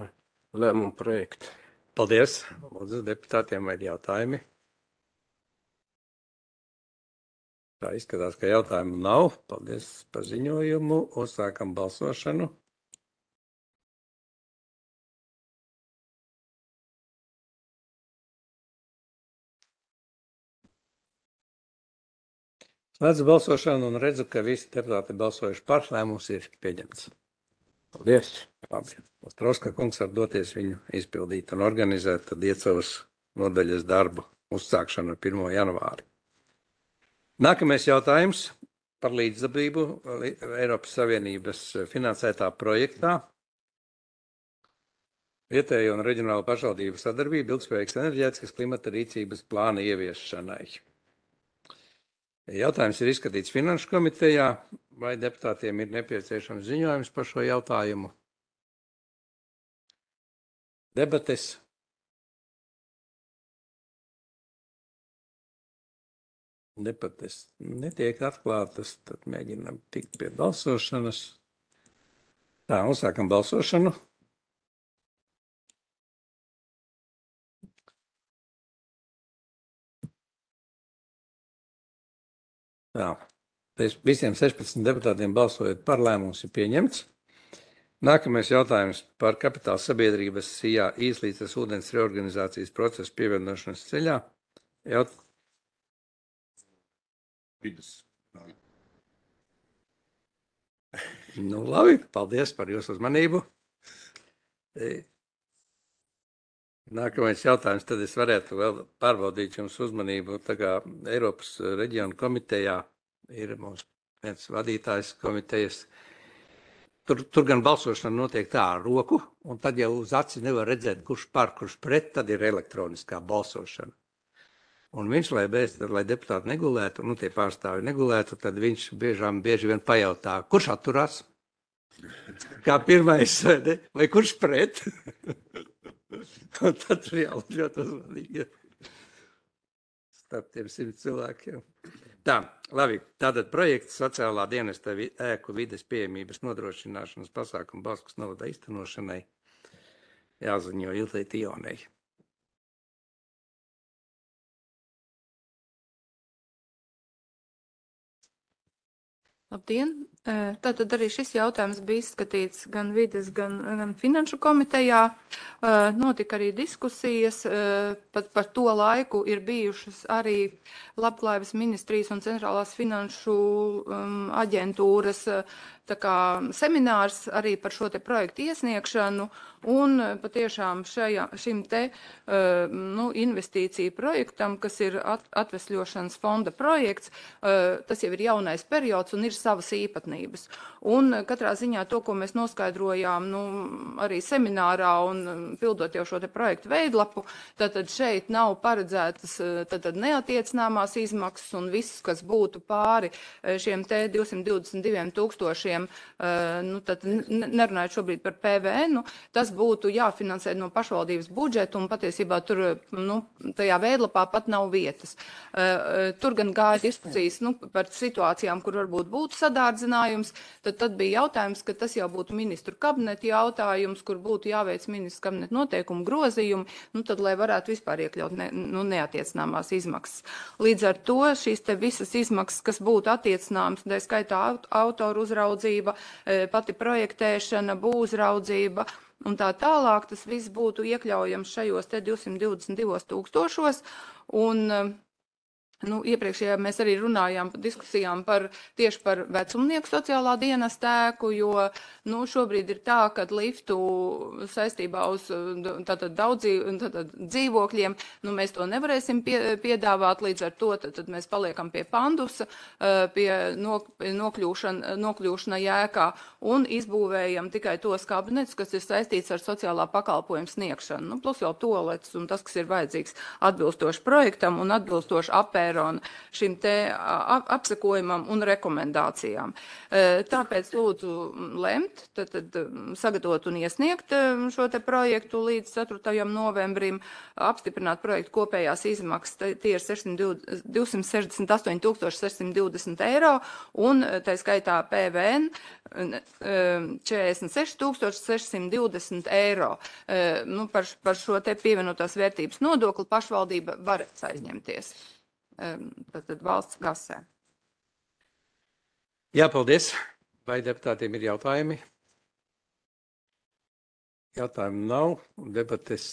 lēmumu projektu. Paldies. Lūdzu deputātiem vai jautājumi? Tā izskatās, ka jautājumu nav. Paldies par ziņojumu. Uzsākam balsošanu. Slēdzu balsošanu un redzu, ka visi deputāti balsojuši par, lēmums ir pieņemts. Paldies. Labi. Ostrovska kungs var doties viņu izpildīt un organizēt tad Iecavas nodaļas darbu uzsākšanu ar pirmo janvāri. Nākamais jautājums par līdzdalību Eiropas Savienības finansētā projektā. Vietējo un reģionālo pašvaldību sadarbību ilgspējīgas enerģētikas klimata rīcības plāna ieviešanai. Jautājums ir izskatīts finanšu komitejā. Vai deputātiem ir nepieciešams ziņojums par šo jautājumu? Debates. Debates netiek atklātas, tad mēģinām tikt pie balsošanas. Tā, uzsākam balsošanu. Tā. Visiem sešpadsmit deputātiem balsojot par, lēmums ir pieņemts. Nākamais jautājums par kapitāla sabiedrības SIA Īslīces ūdens reorganizācijas procesu pievienošanas ceļā. Jaut... Nu, labi, paldies par jūsu uzmanību. Nākamais jautājums, tad es varētu vēl pārbaudīt jums uzmanību. Tā kā Eiropas reģionu komitejā ir mums viens vadītājs komitejas. Tur, tur gan balsošana notiek tā ar roku, un tad jau uz acis nevar redzēt, kurš par, kurš pret, tad ir elektroniskā balsošana. Un viņš, lai, bez, lai deputāti negulētu, nu tie pārstāvi negulētu, tad viņš biežām, bieži vien pajautā, kurš atturās? Kā pirmais, ne? Vai kurš pret? Un tad tur jau ļoti uzmanīgi starp tiem simt cilvēkiem. Tā, labi, tātad projekts sociālā dienesta vi- ēku vides pieejamības nodrošināšanas pasākumu Bauskas novada īstenošanai jāziņo Iltai Tionei. Labdien! Tātad arī šis jautājums bija izskatīts gan vides, gan, gan finanšu komitejā. Notika arī diskusijas, pat par to laiku ir bijušas arī Labklājības ministrijas un centrālās finanšu um, aģentūras tā kā seminārs arī par šo te projektu iesniegšanu, un patiešām šajā, šim te uh, nu, investīciju projektam, kas ir at, atvesļošanas fonda projekts, uh, tas jau ir jaunais periods un ir savas īpatnības. Un katrā ziņā to, ko mēs noskaidrojām nu, arī seminārā un pildot jau šo te projektu veidlapu, tātad šeit nav paredzētas tātad neatiecināmās izmaksas un viss, kas būtu pāri šiem te divsimt divdesmit diviem tūkstošiem, nu, tad nerunājot šobrīd par P V N, tas būtu jāfinansē no pašvaldības budžeta un patiesībā tur, nu, tajā veidlapā pat nav vietas. Tur gan gāja diskusijas, nu, par situācijām, kur varbūt būtu sadārdzinājums, tad, tad bija jautājums, ka tas jau būtu ministru kabineta jautājums, kur būtu jāveic ministru kabineta noteikumu grozījumi, nu, tad, lai varētu vispār iekļaut ne, nu, neatiecināmās izmaksas. Līdz ar to šīs te visas izmaksas, kas būtu attiecināmas, tā skaitā autoru uzraudzība, pati projektēšana, būvraudzība un tā tālāk, tas viss būtu iekļaujams šajos te divsimt divdesmit divos tūkstošos. Un nu, iepriekšējā mēs arī runājām par diskusijām par tieši par vecumnieku sociālā dienesta ēku, jo nu, šobrīd ir tā, ka liftu saistībā uz tātad, daudz tātad, dzīvokļiem, nu, mēs to nevarēsim pie, piedāvāt, līdz ar to tad, tad mēs paliekam pie pandusa, pie nok, nokļūšana, nokļūšana ēkā un izbūvējam tikai tos kabinetus, kas ir saistīts ar sociālā pakalpojuma sniegšanu, nu, plus jau toalets un tas, kas ir vajadzīgs atbilstoši projektam un atbilstoši apēru šim te apsakojumam un rekomendācijām. Tāpēc lūdzu lemt, tad, tad sagatavot un iesniegt šo te projektu līdz ceturtajam novembrim, apstiprināt projektu kopējās izmaksas, tie ir divsimt sešdesmit astoņi tūkstoši sešsimt divdesmit eiro, un tā skaitā P V N četrdesmit seši tūkstoši sešsimt divdesmit eiro. Nu, par, par šo te pievienotās vērtības nodokli pašvaldība var aizņemties. Tātad valsts kasē. Jā, paldies. Vai deputātiem ir jautājumi? Jautājumu nav. Debates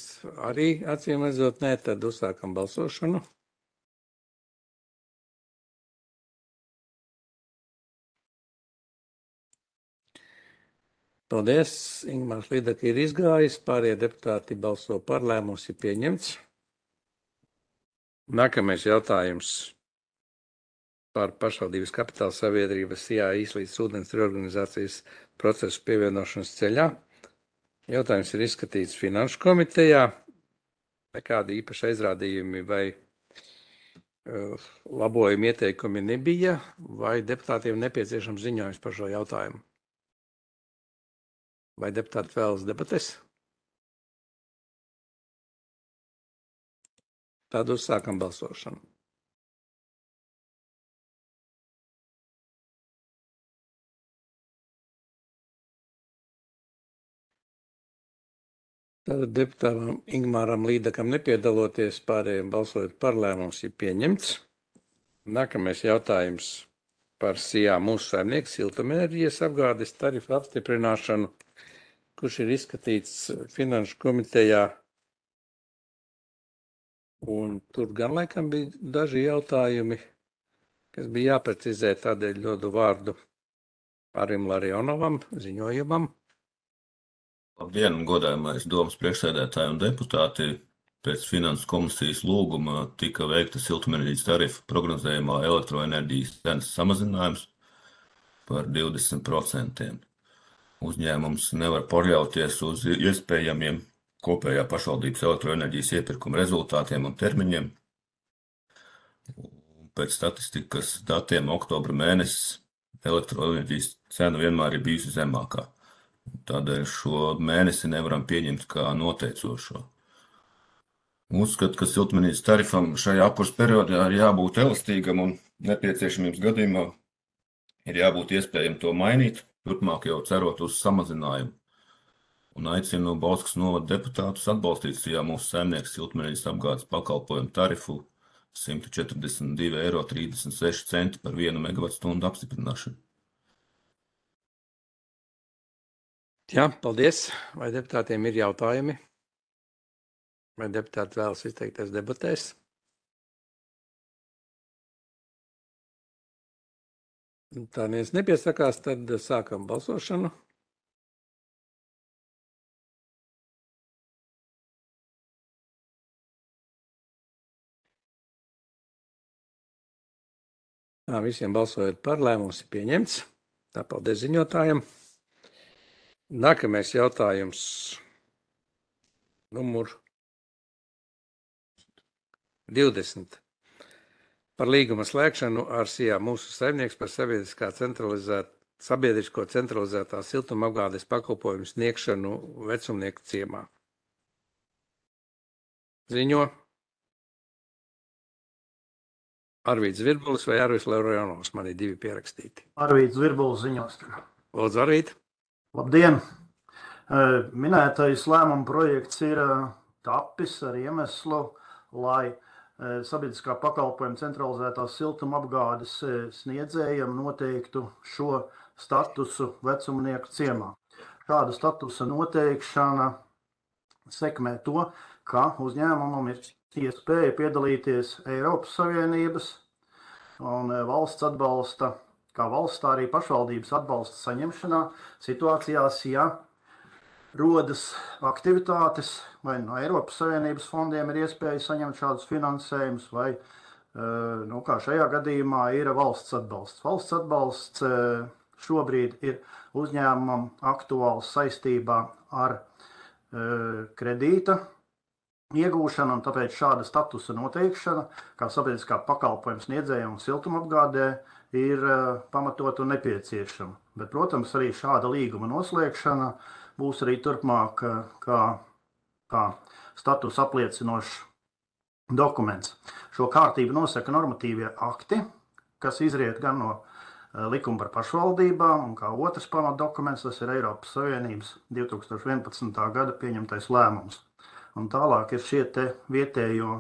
arī acīm redzot nē, tad uzsākam balsošanu. Paldies. Ingmārs Līdaka ir izgājis. Pārējie deputāti balso par, lēmums ir pieņemts. Nākamais jautājums par pašvaldības kapitāla sabiedrības I A Īslīdes ūdens reorganizācijas procesu pievienošanas ceļā. Jautājums ir izskatīts finanšu komitejā. Nekādi īpaši aizrādījumi vai uh, labojumi ieteikumi nebija, vai deputātiem nepieciešams ziņojums par šo jautājumu? Vai deputāti vēlas debates? Tad uzsākam balsošanu. Tātad deputātam Ingmāram Līdakam nepiedaloties, pārējiem balsojot par, lēmums ir pieņemts. Nākamais jautājums par S I A mūsu saimnieku siltumenerģijas apgādes tarifu apstiprināšanu, kurš ir izskatīts finanšu komitejā. Un tur gan laikam bija daži jautājumi, kas bija jāprecizē, tādēļ dodu vārdu Arim Larionovam, ziņojumam. Labdien, godājumais domas priekšsēdētāji un deputāti. Pēc finanses komisijas lūguma tika veikta siltumenerģijas tarifa prognozējumā elektroenerģijas cenas samazinājums. par divdesmit procentiem. Uzņēmums nevar paļauties uz iespējamiem kopējā pašvaldības elektroenerģijas iepirkuma rezultātiem un termiņiem. Pēc statistikas datiem oktobra mēnesis elektroenerģijas cena vienmēr ir bijusi zemākā. Tādēļ šo mēnesi nevaram pieņemt kā noteicošo. Uzskatu, ka siltumnīcas tarifam šajā apkurses periodā ir jābūt elastīgam un nepieciešamības gadījumā ir jābūt iespējami to mainīt, turpmāk jau cerot uz samazinājumu. Un aicinu Bauskas novada deputātus atbalstīt šajā mūsu saimnieks siltumnīcas apgādes pakalpojumu tarifu simt četrdesmit divi eiro trīsdesmit seši centi par vienu megavatstundu apstiprināšanu. Jā, paldies. Vai deputātiem ir jautājumi? Vai deputāti vēlas izteikties debatēs? Tā neviens nepiesakās, tad sākam balsošanu. Tā, visiem balsojot par, lēmums ir pieņemts. Tā, paldies ziņotājiem. Nākamais jautājums. Numur divdesmit. Par līguma slēgšanu ar Sijā mūsu saimnieks par sabiedriskā centralizēt, sabiedrisko centralizētā siltuma apgādes pakalpojumu sniegšanu vecumnieku ciemā. Ziņo Arvīds Virbulis vai Arvīds Lerojanovs. Man ir divi pierakstīti. Arvīds Virbulis ziņos. Lūdzu, Arvīd. Labdien! Minētais lēmuma projekts ir tapis ar iemeslu, lai sabiedriskā pakalpojuma centralizētās siltuma apgādes sniedzējiem noteiktu šo statusu vecumnieku ciemā. Šāda statusa noteikšana sekmē to, ka uzņēmumam ir iespēja piedalīties Eiropas Savienības un valsts atbalsta, kā valsts, tā arī pašvaldības atbalsta saņemšanā situācijās, ja rodas aktivitātes, vai no Eiropas Savienības fondiem ir iespēja saņemt šādus finansējumus, vai, nu, kā šajā gadījumā, ir valsts atbalsts. Valsts atbalsts šobrīd ir uzņēmumam aktuāls saistībā ar kredīta iegūšanu, un tāpēc šāda statusa noteikšana, kā sabiedriskā pakalpojuma sniedzējiem un siltumapgādē, ir pamatot un nepieciešama. Bet, protams, arī šāda līguma noslēgšana būs arī turpmāk kā, kā status apliecinošs dokuments. Šo kārtību nosaka normatīvie akti, kas izriet gan no likuma par pašvaldībām, un kā otrs pamatdokuments, tas ir Eiropas Savienības divi tūkstoši vienpadsmitā gada pieņemtais lēmums. Un tālāk ir šie te vietējo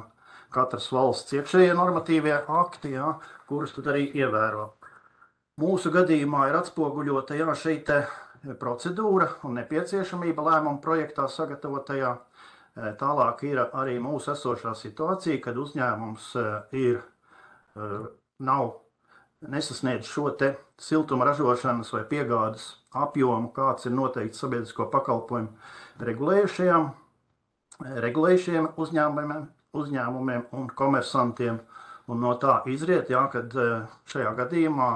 katras valsts iekšējie normatīvie akti, jā, kurus tad arī ievēro. Mūsu gadījumā ir atspoguļota jā, šī te procedūra un nepieciešamība lēmuma projektā sagatavotajā. Tālāk ir arī mūsu esošā situācija, kad uzņēmums ir, nav nesasniedz šo te siltuma ražošanas vai piegādes apjomu, kāds ir noteikts sabiedrisko pakalpojumu regulējušajām, regulējušiem uzņēmumiem, uzņēmumiem un komersantiem. Un no tā izriet, jā, kad šajā gadījumā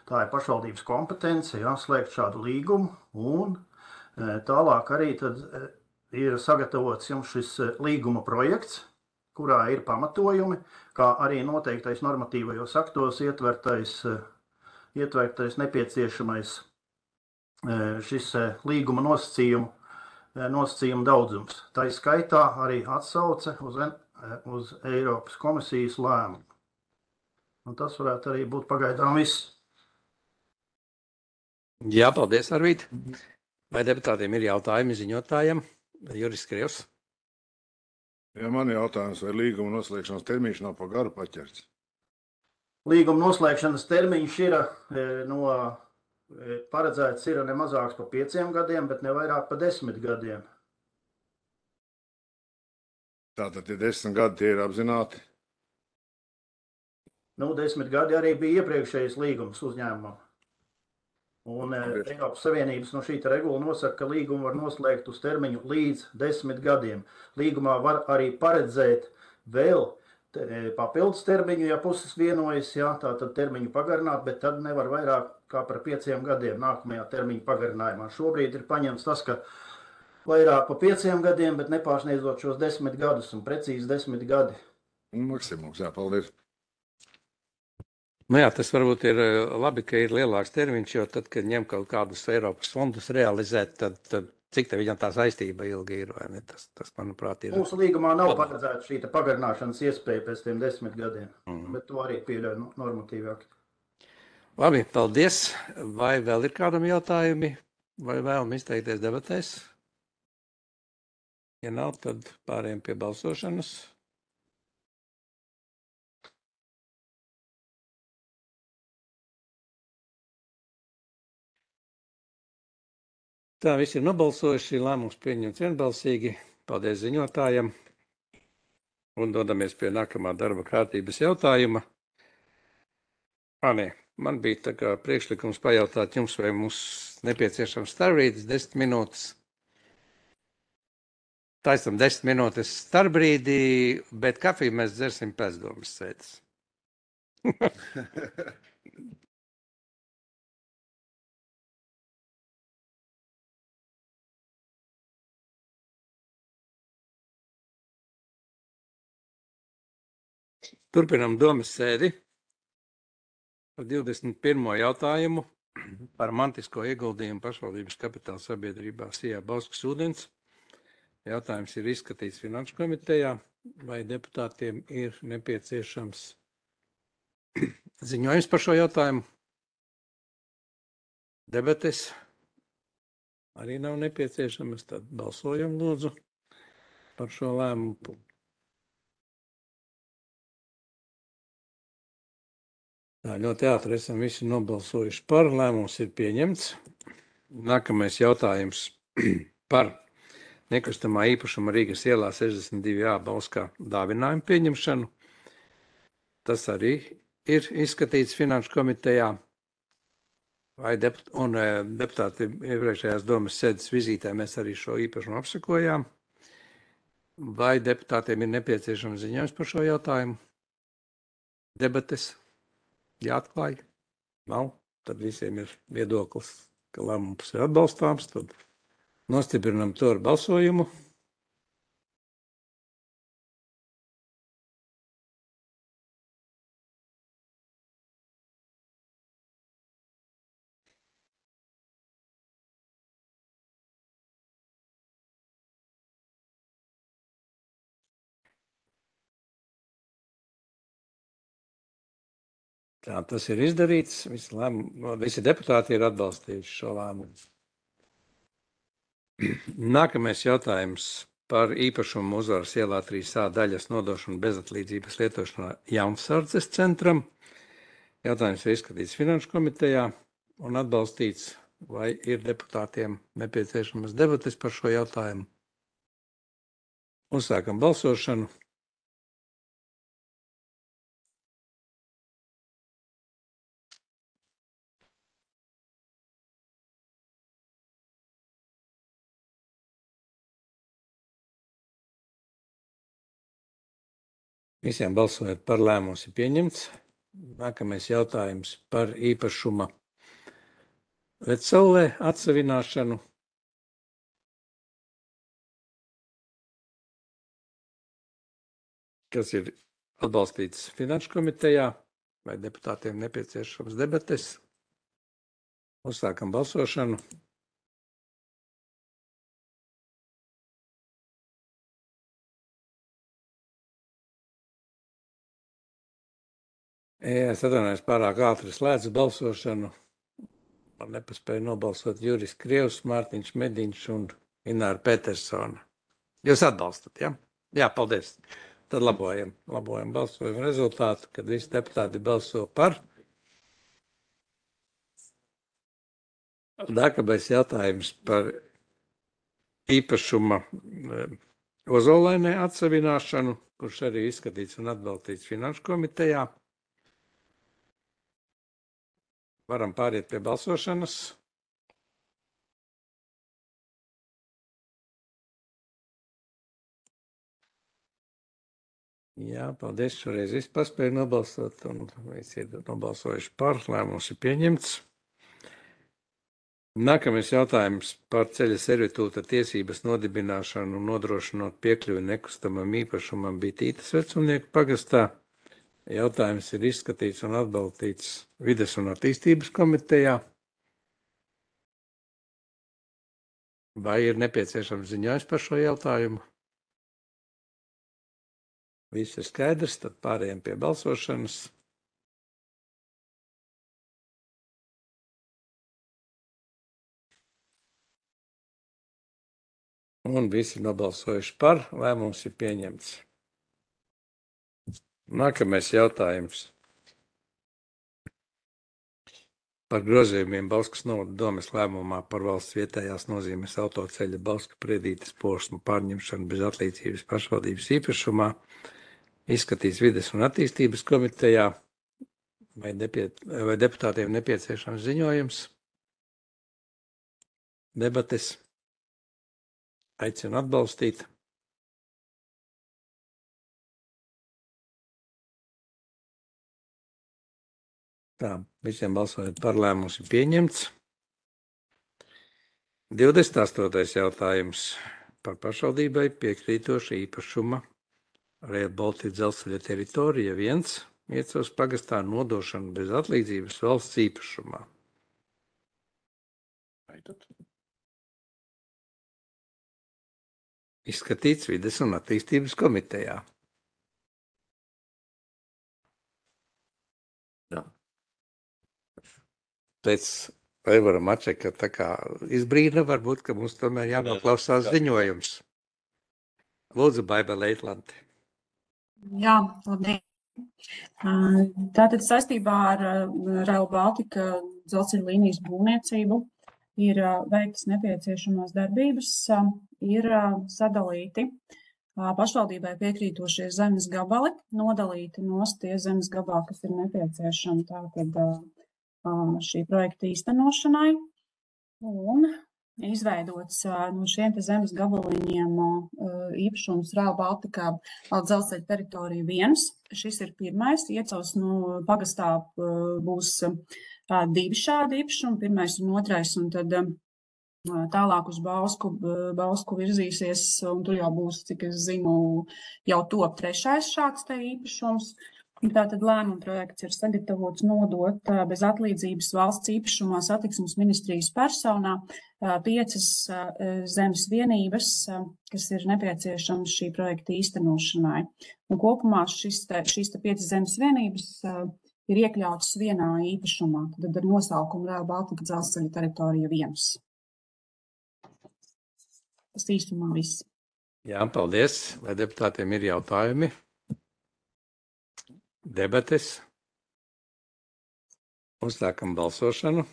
tā ir pašvaldības kompetence, jā, slēgt šādu līgumu, un tālāk arī tad ir sagatavots jums šis līguma projekts, kurā ir pamatojumi, kā arī noteiktais normatīvajos aktos ietvertais, ietvertais nepieciešamais šis līguma nosacījumu, nosacījumu daudzums. Tā skaitā arī atsauce uz, uz Eiropas komisijas lēmumu. Un tas varētu arī būt pagaidām viss. Jā, paldies, Arvīd. Vai deputātiem ir jautājumi ziņotājiem? Juris Krievs. Jā, man ir jautājums, vai līguma noslēgšanas termiņš nav par garu paķerts? Līguma noslēgšanas termiņš ir no paredzēts ir ne mazāks par pieciem gadiem, bet ne vairāk par desmit gadiem. Tātad, ja desmit gadi tie ir apzināti? Nu, desmit gadi arī bija iepriekšējais līgums uzņēmumam. Un Eiropas Savienības no šī regula nosaka, ka līgumu var noslēgt uz termiņu līdz desmit gadiem. Līgumā var arī paredzēt vēl papildus termiņu, ja puses vienojas, jā, tā tad termiņu pagarināt, bet tad nevar vairāk kā par pieciem gadiem nākamajā termiņa pagarinājumā. Šobrīd ir paņemts tas, ka vairāk pa pieciem gadiem, bet nepārsniedzot šos desmit gadus un precīzi desmit gadi. Maksimums, jā, paldies. Nu jā, tas varbūt ir labi, ka ir lielāks termiņš, jo tad, kad ņem kaut kādus Eiropas fondus realizēt, tad, tad cik te viņam tā saistība ilgi ir, vai ne? Tas, tas manuprāt, ir. Mūsu līgumā nav paredzēta šī pagarināšanas iespēja pēc tiem desmit gadiem, Mm. bet to arī pieļauj normatīvi akti. Labi, paldies. Vai vēl ir kādam jautājumi, vai vēlam izteikties debatēs? Ja nav, tad pārējiem pie balsošanas. Tā visi ir nobalsojuši, lēmums pieņemts vienbalsīgi. Paldies ziņotājiem. Un dodamies pie nākamā darba kārtības jautājuma. Ā, nē, man bija tā kā priekšlikums pajautāt jums, vai mums nepieciešams starpbrīdis desmit minūtes. Taisam desmit minūtes starpbrīdī, bet kafiju mēs dzersim pēcdomas sēdes. Turpinam domas sēdi par divdesmit pirmo jautājumu par mantisko ieguldījumu pašvaldības kapitāla sabiedrībā Sijā Bauskas ūdens. Jautājums ir izskatīts Finanšu komitejā, vai deputātiem ir nepieciešams ziņojums par šo jautājumu. Debates arī nav nepieciešamas, tad balsojam lūdzu par šo lēmumu. Tā, ļoti ātri esam visi nobalsojuši par, lēmums ir pieņemts. Nākamais jautājums par nekustamā īpašuma Rīgas ielā sešdesmit divi A Bauskā dāvinājumu pieņemšanu. Tas arī ir izskatīts Finanšu komitejā. Vai deput, un deputāti iepriekšējās domas sēdes vizītē mēs arī šo īpašumu apsakojām. Vai deputātiem ir nepieciešams ziņojums par šo jautājumu? Debates jāatklāj? Nav. Tad visiem ir viedoklis, ka lēmums ir atbalstāms. Tad nostiprinam to ar balsojumu. Tā, tas ir izdarīts. Visi, lēmumu, visi deputāti ir atbalstījuši šo lēmumu. Nākamais jautājums par īpašumu Uzvaras ielā trīs A daļas nodošanu bezatlīdzības lietošanā Jaunsardzes centram. Jautājums ir izskatīts Finanšu komitejā un atbalstīts, vai ir deputātiem nepieciešamas debates par šo jautājumu. Uzsākam balsošanu. Visiem balsojot par, lēmums ir pieņemts. Nākamais jautājums par īpašuma Vecsaulē atsavināšanu. Kas ir atbalstīts Finanšu komitejā, vai deputātiem nepieciešams debates. Uzsākam balsošanu. Es atvainojos, pārāk ātri slēdzu balsošanu. Man nepaspēja nobalsot Juris Krievs, Mārtiņš Mediņš un Ināra Petersona. Jūs atbalstat, ja? Jā, paldies. Tad labojam, labojam balsojumu rezultātu, kad visi deputāti balso par. Nākamais jautājums par īpašuma Ozolainē atsavināšanu, kurš arī izskatīts un atbalstīts Finanšu komitejā. Varam pāriet pie balsošanas. Jā, paldies. Šoreiz viss paspēja nobalsot un visi ir nobalsojuši par. Lēmums ir pieņemts. Nākamais jautājums par ceļa servitūta tiesības nodibināšanu un nodrošinot piekļuvi nekustamam īpašumam Bitītes vecumnieku pagastā. Jautājums ir izskatīts un atbalstīts Vides un attīstības komitejā. Vai ir nepieciešams ziņojums par šo jautājumu? Viss ir skaidrs, tad pārējiem pie balsošanas. Un visi nobalsojuši par, lēmums ir pieņemts. Nākamais jautājums par grozījumiem Bauskas novada domes lēmumā par valsts vietējās nozīmes autoceļa Bauska Priedītes posmu pārņemšanu bez atlīdzības pašvaldības īpašumā izskatīts Vides un attīstības komitejā. Vai, nepie, vai deputātiem nepieciešams ziņojums? Debates? Aicinu atbalstīt. Tā, visiem balsojot par, lēmums ir pieņemts. divdesmit astotais jautājums par pašvaldībai piekrītoša īpašuma Rail Baltica dzelzceļa teritorija viens Iecavas pagastā nodošana bez atlīdzības valsts īpašumā. Izskatīts Vides un attīstības komitejā. Jā. Pēc Aivara Mačeka tā kā izbrīna, varbūt, ka mums tomēr jānoklausās ziņojums. Lūdzu, Baiba Leitlanti. Jā, labdien. Tātad saistībā ar Rail Baltica dzelzceļa līnijas būvniecību ir veiktas nepieciešamās darbības, ir sadalīti pašvaldībai piekrītošie zemes gabali, nodalīti nost tie zemes gabali, kas ir nepieciešami tātad šī projekta īstenošanai, un izveidots no šiem te zemes gabaliņiem īpašums Rail Baltica dzelzceļa teritorija viens. Šis ir pirmais, Iecavas no pagastā būs divi šādi īpašumi, pirmais un otrais, un tad tālāk uz Bausku, Bausku virzīsies, un tur jau būs, cik es zinu, jau top trešais šāds te īpašums. Tātad lēmuma projekts ir sagatavots nodot bez atlīdzības valsts īpašumā satiksmes ministrijas personā piecas zemes vienības, kas ir nepieciešamas šī projekta īstenošanai. Un kopumā šis te, šīs te piecas zemes vienības ir iekļautas vienā īpašumā, tad ar nosaukumu Rail Baltica dzelzceļa teritorija viens. Tas īstumā viss. Jā, paldies. Vai deputātiem ir jautājumi? Debates. Uzsākam balsošanu.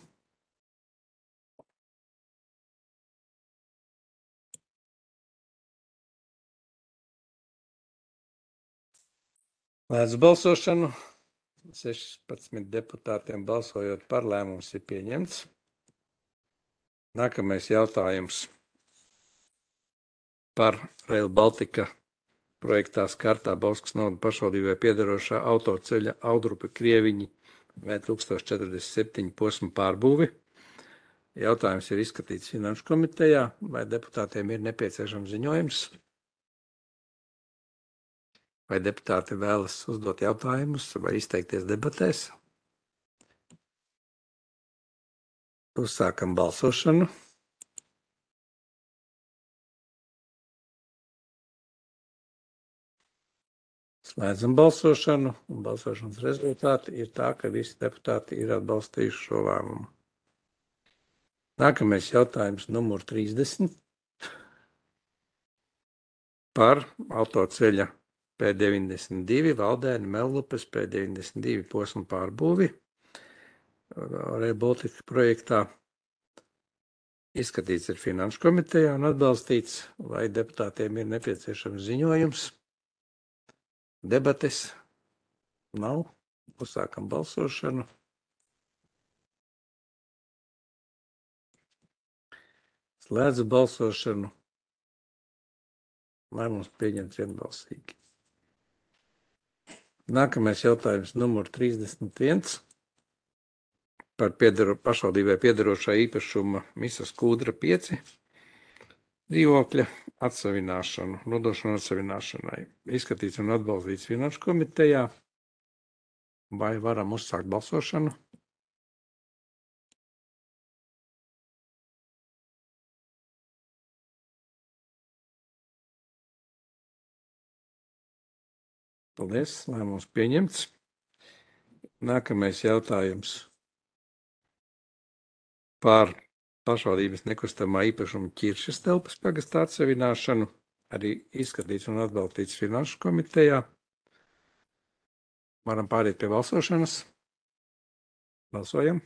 Lēdzu balsošanu. sešpadsmit deputātiem balsojot par, lēmums ir pieņemts. Nākamais jautājums par Rail Baltica projektā skartā Bauskas novada pašvaldībai piederošā autoceļa Audrupe Krieviņi V tūkstoš četrdesmit septiņi posmu pārbūvi. Jautājums ir izskatīts Finanšu komitejā. Vai deputātiem ir nepieciešams ziņojums? Vai deputāti vēlas uzdot jautājumus vai izteikties debatēs? Uzsākam balsošanu. Slēdzam balsošanu, un balsošanas rezultāti ir tā, ka visi deputāti ir atbalstījuši šo lēmumu. Nākamais jautājums numur trīsdesmit par autoceļa P deviņdesmit divi Valdēni Mellupes P deviņdesmit divi posmu pārbūvi. Rail Baltica projektā izskatīts ir Finanšu komitejā un atbalstīts, vai deputātiem ir nepieciešams ziņojums. Debates nav. Uzsākam balsošanu. Slēdzu balsošanu. Lēmums pieņemts vienbalsīgi. Nākamais jautājums numur trīsdesmit viens par piedaro, pašvaldībai piedarošā īpašuma Misas Kūdra pieci dzīvokļa atsavināšanu, nodošanu atsavināšanai. Izskatīts un atbalstīts Finanšu komitejā. Vai varam uzsākt balsošanu? Paldies, lēmums pieņemts. Nākamais jautājums par pašvaldības nekustamā īpašuma Ķiršas telpas pagastā atsavināšanu. Arī izskatīts un atbalstīts Finanšu komitejā. Varam pāriet pie balsošanas. Balsojam.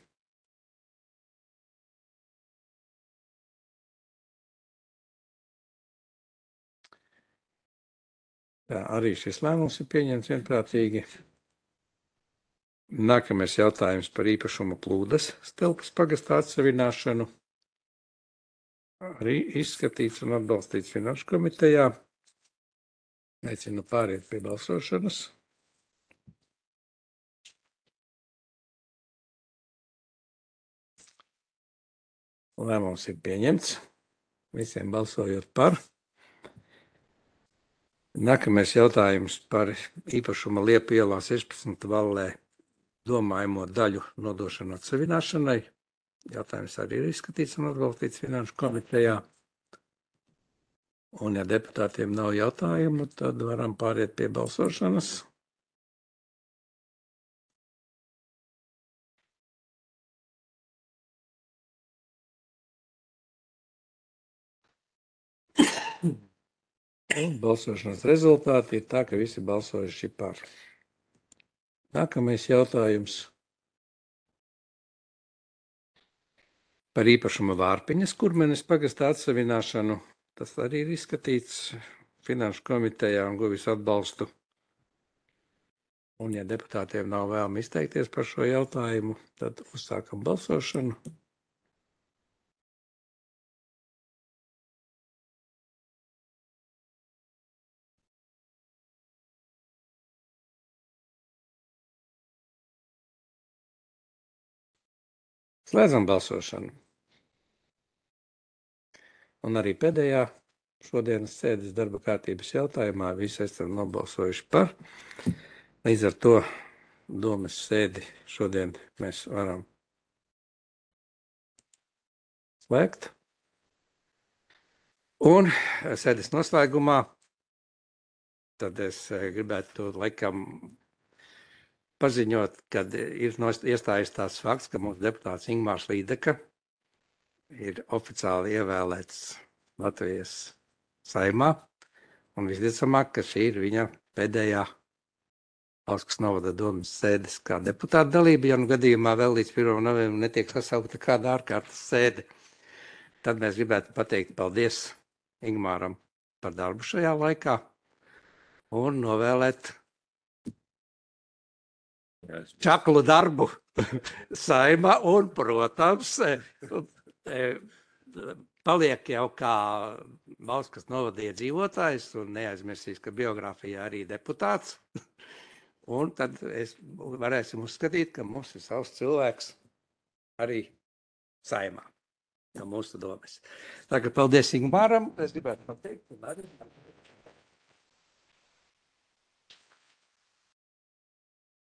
Tā, arī šis lēmums ir pieņemts vienprātīgi. Nākamais jautājums par īpašuma Plūdas telpas pagastā atsavināšanu. Arī izskatīts un atbalstīts Finanšu komitejā. Aicinu pāriet pie balsošanas. Lēmums ir pieņemts. Visiem balsojot par. Nākamais jautājums par īpašuma Liepu ielā sešpadsmit Vallē domājamo daļu nodošanu atsavināšanai. Jautājums arī ir izskatīts un atbalstīts Finanšu komitejā. Un ja deputātiem nav jautājumu, tad varam pāriet pie balsošanas. Balsošanas rezultāti ir tā, ka visi balsojuši par. Nākamais jautājums par īpašuma Vārpiņas Kurmenes pagastā atsavināšanu. Tas arī ir izskatīts Finanšu komitejā un guvis atbalstu. Un ja deputātiem nav vēlme izteikties par šo jautājumu, tad uzsākam balsošanu. Slēdzam balsošanu. Un arī pēdējā šodienas sēdes darba kārtības jautājumā visi esam nobalsojuši par. Līdz ar to domas sēdi šodien mēs varam slēgt. Un sēdes noslēgumā tad es gribētu laikam paziņot, kad ir iestājies tās fakts, ka mūsu deputāts Ingmārs Līdeka ir oficiāli ievēlēts Latvijas Saeimā, un visticamāk, ka šī ir viņa pēdējā Bauskas novada domas sēdes kā deputāta dalība, ja nu gadījumā vēl līdz pirmajam novembrim netiek sasaukta kāda ārkārtas sēde. Tad mēs gribētu pateikt paldies Ingmāram par darbu šajā laikā un novēlēt čaklu darbu Saeimā un, protams, paliek jau kā Bauskas novada iedzīvotājs un neaizmirsīs, ka biogrāfijā arī deputāts. Un tad es varēsim uzskatīt, ka mums ir savs cilvēks arī Saeimā, no mūsu domas. Tagad paldies Ingmāram, es gribētu pateikt.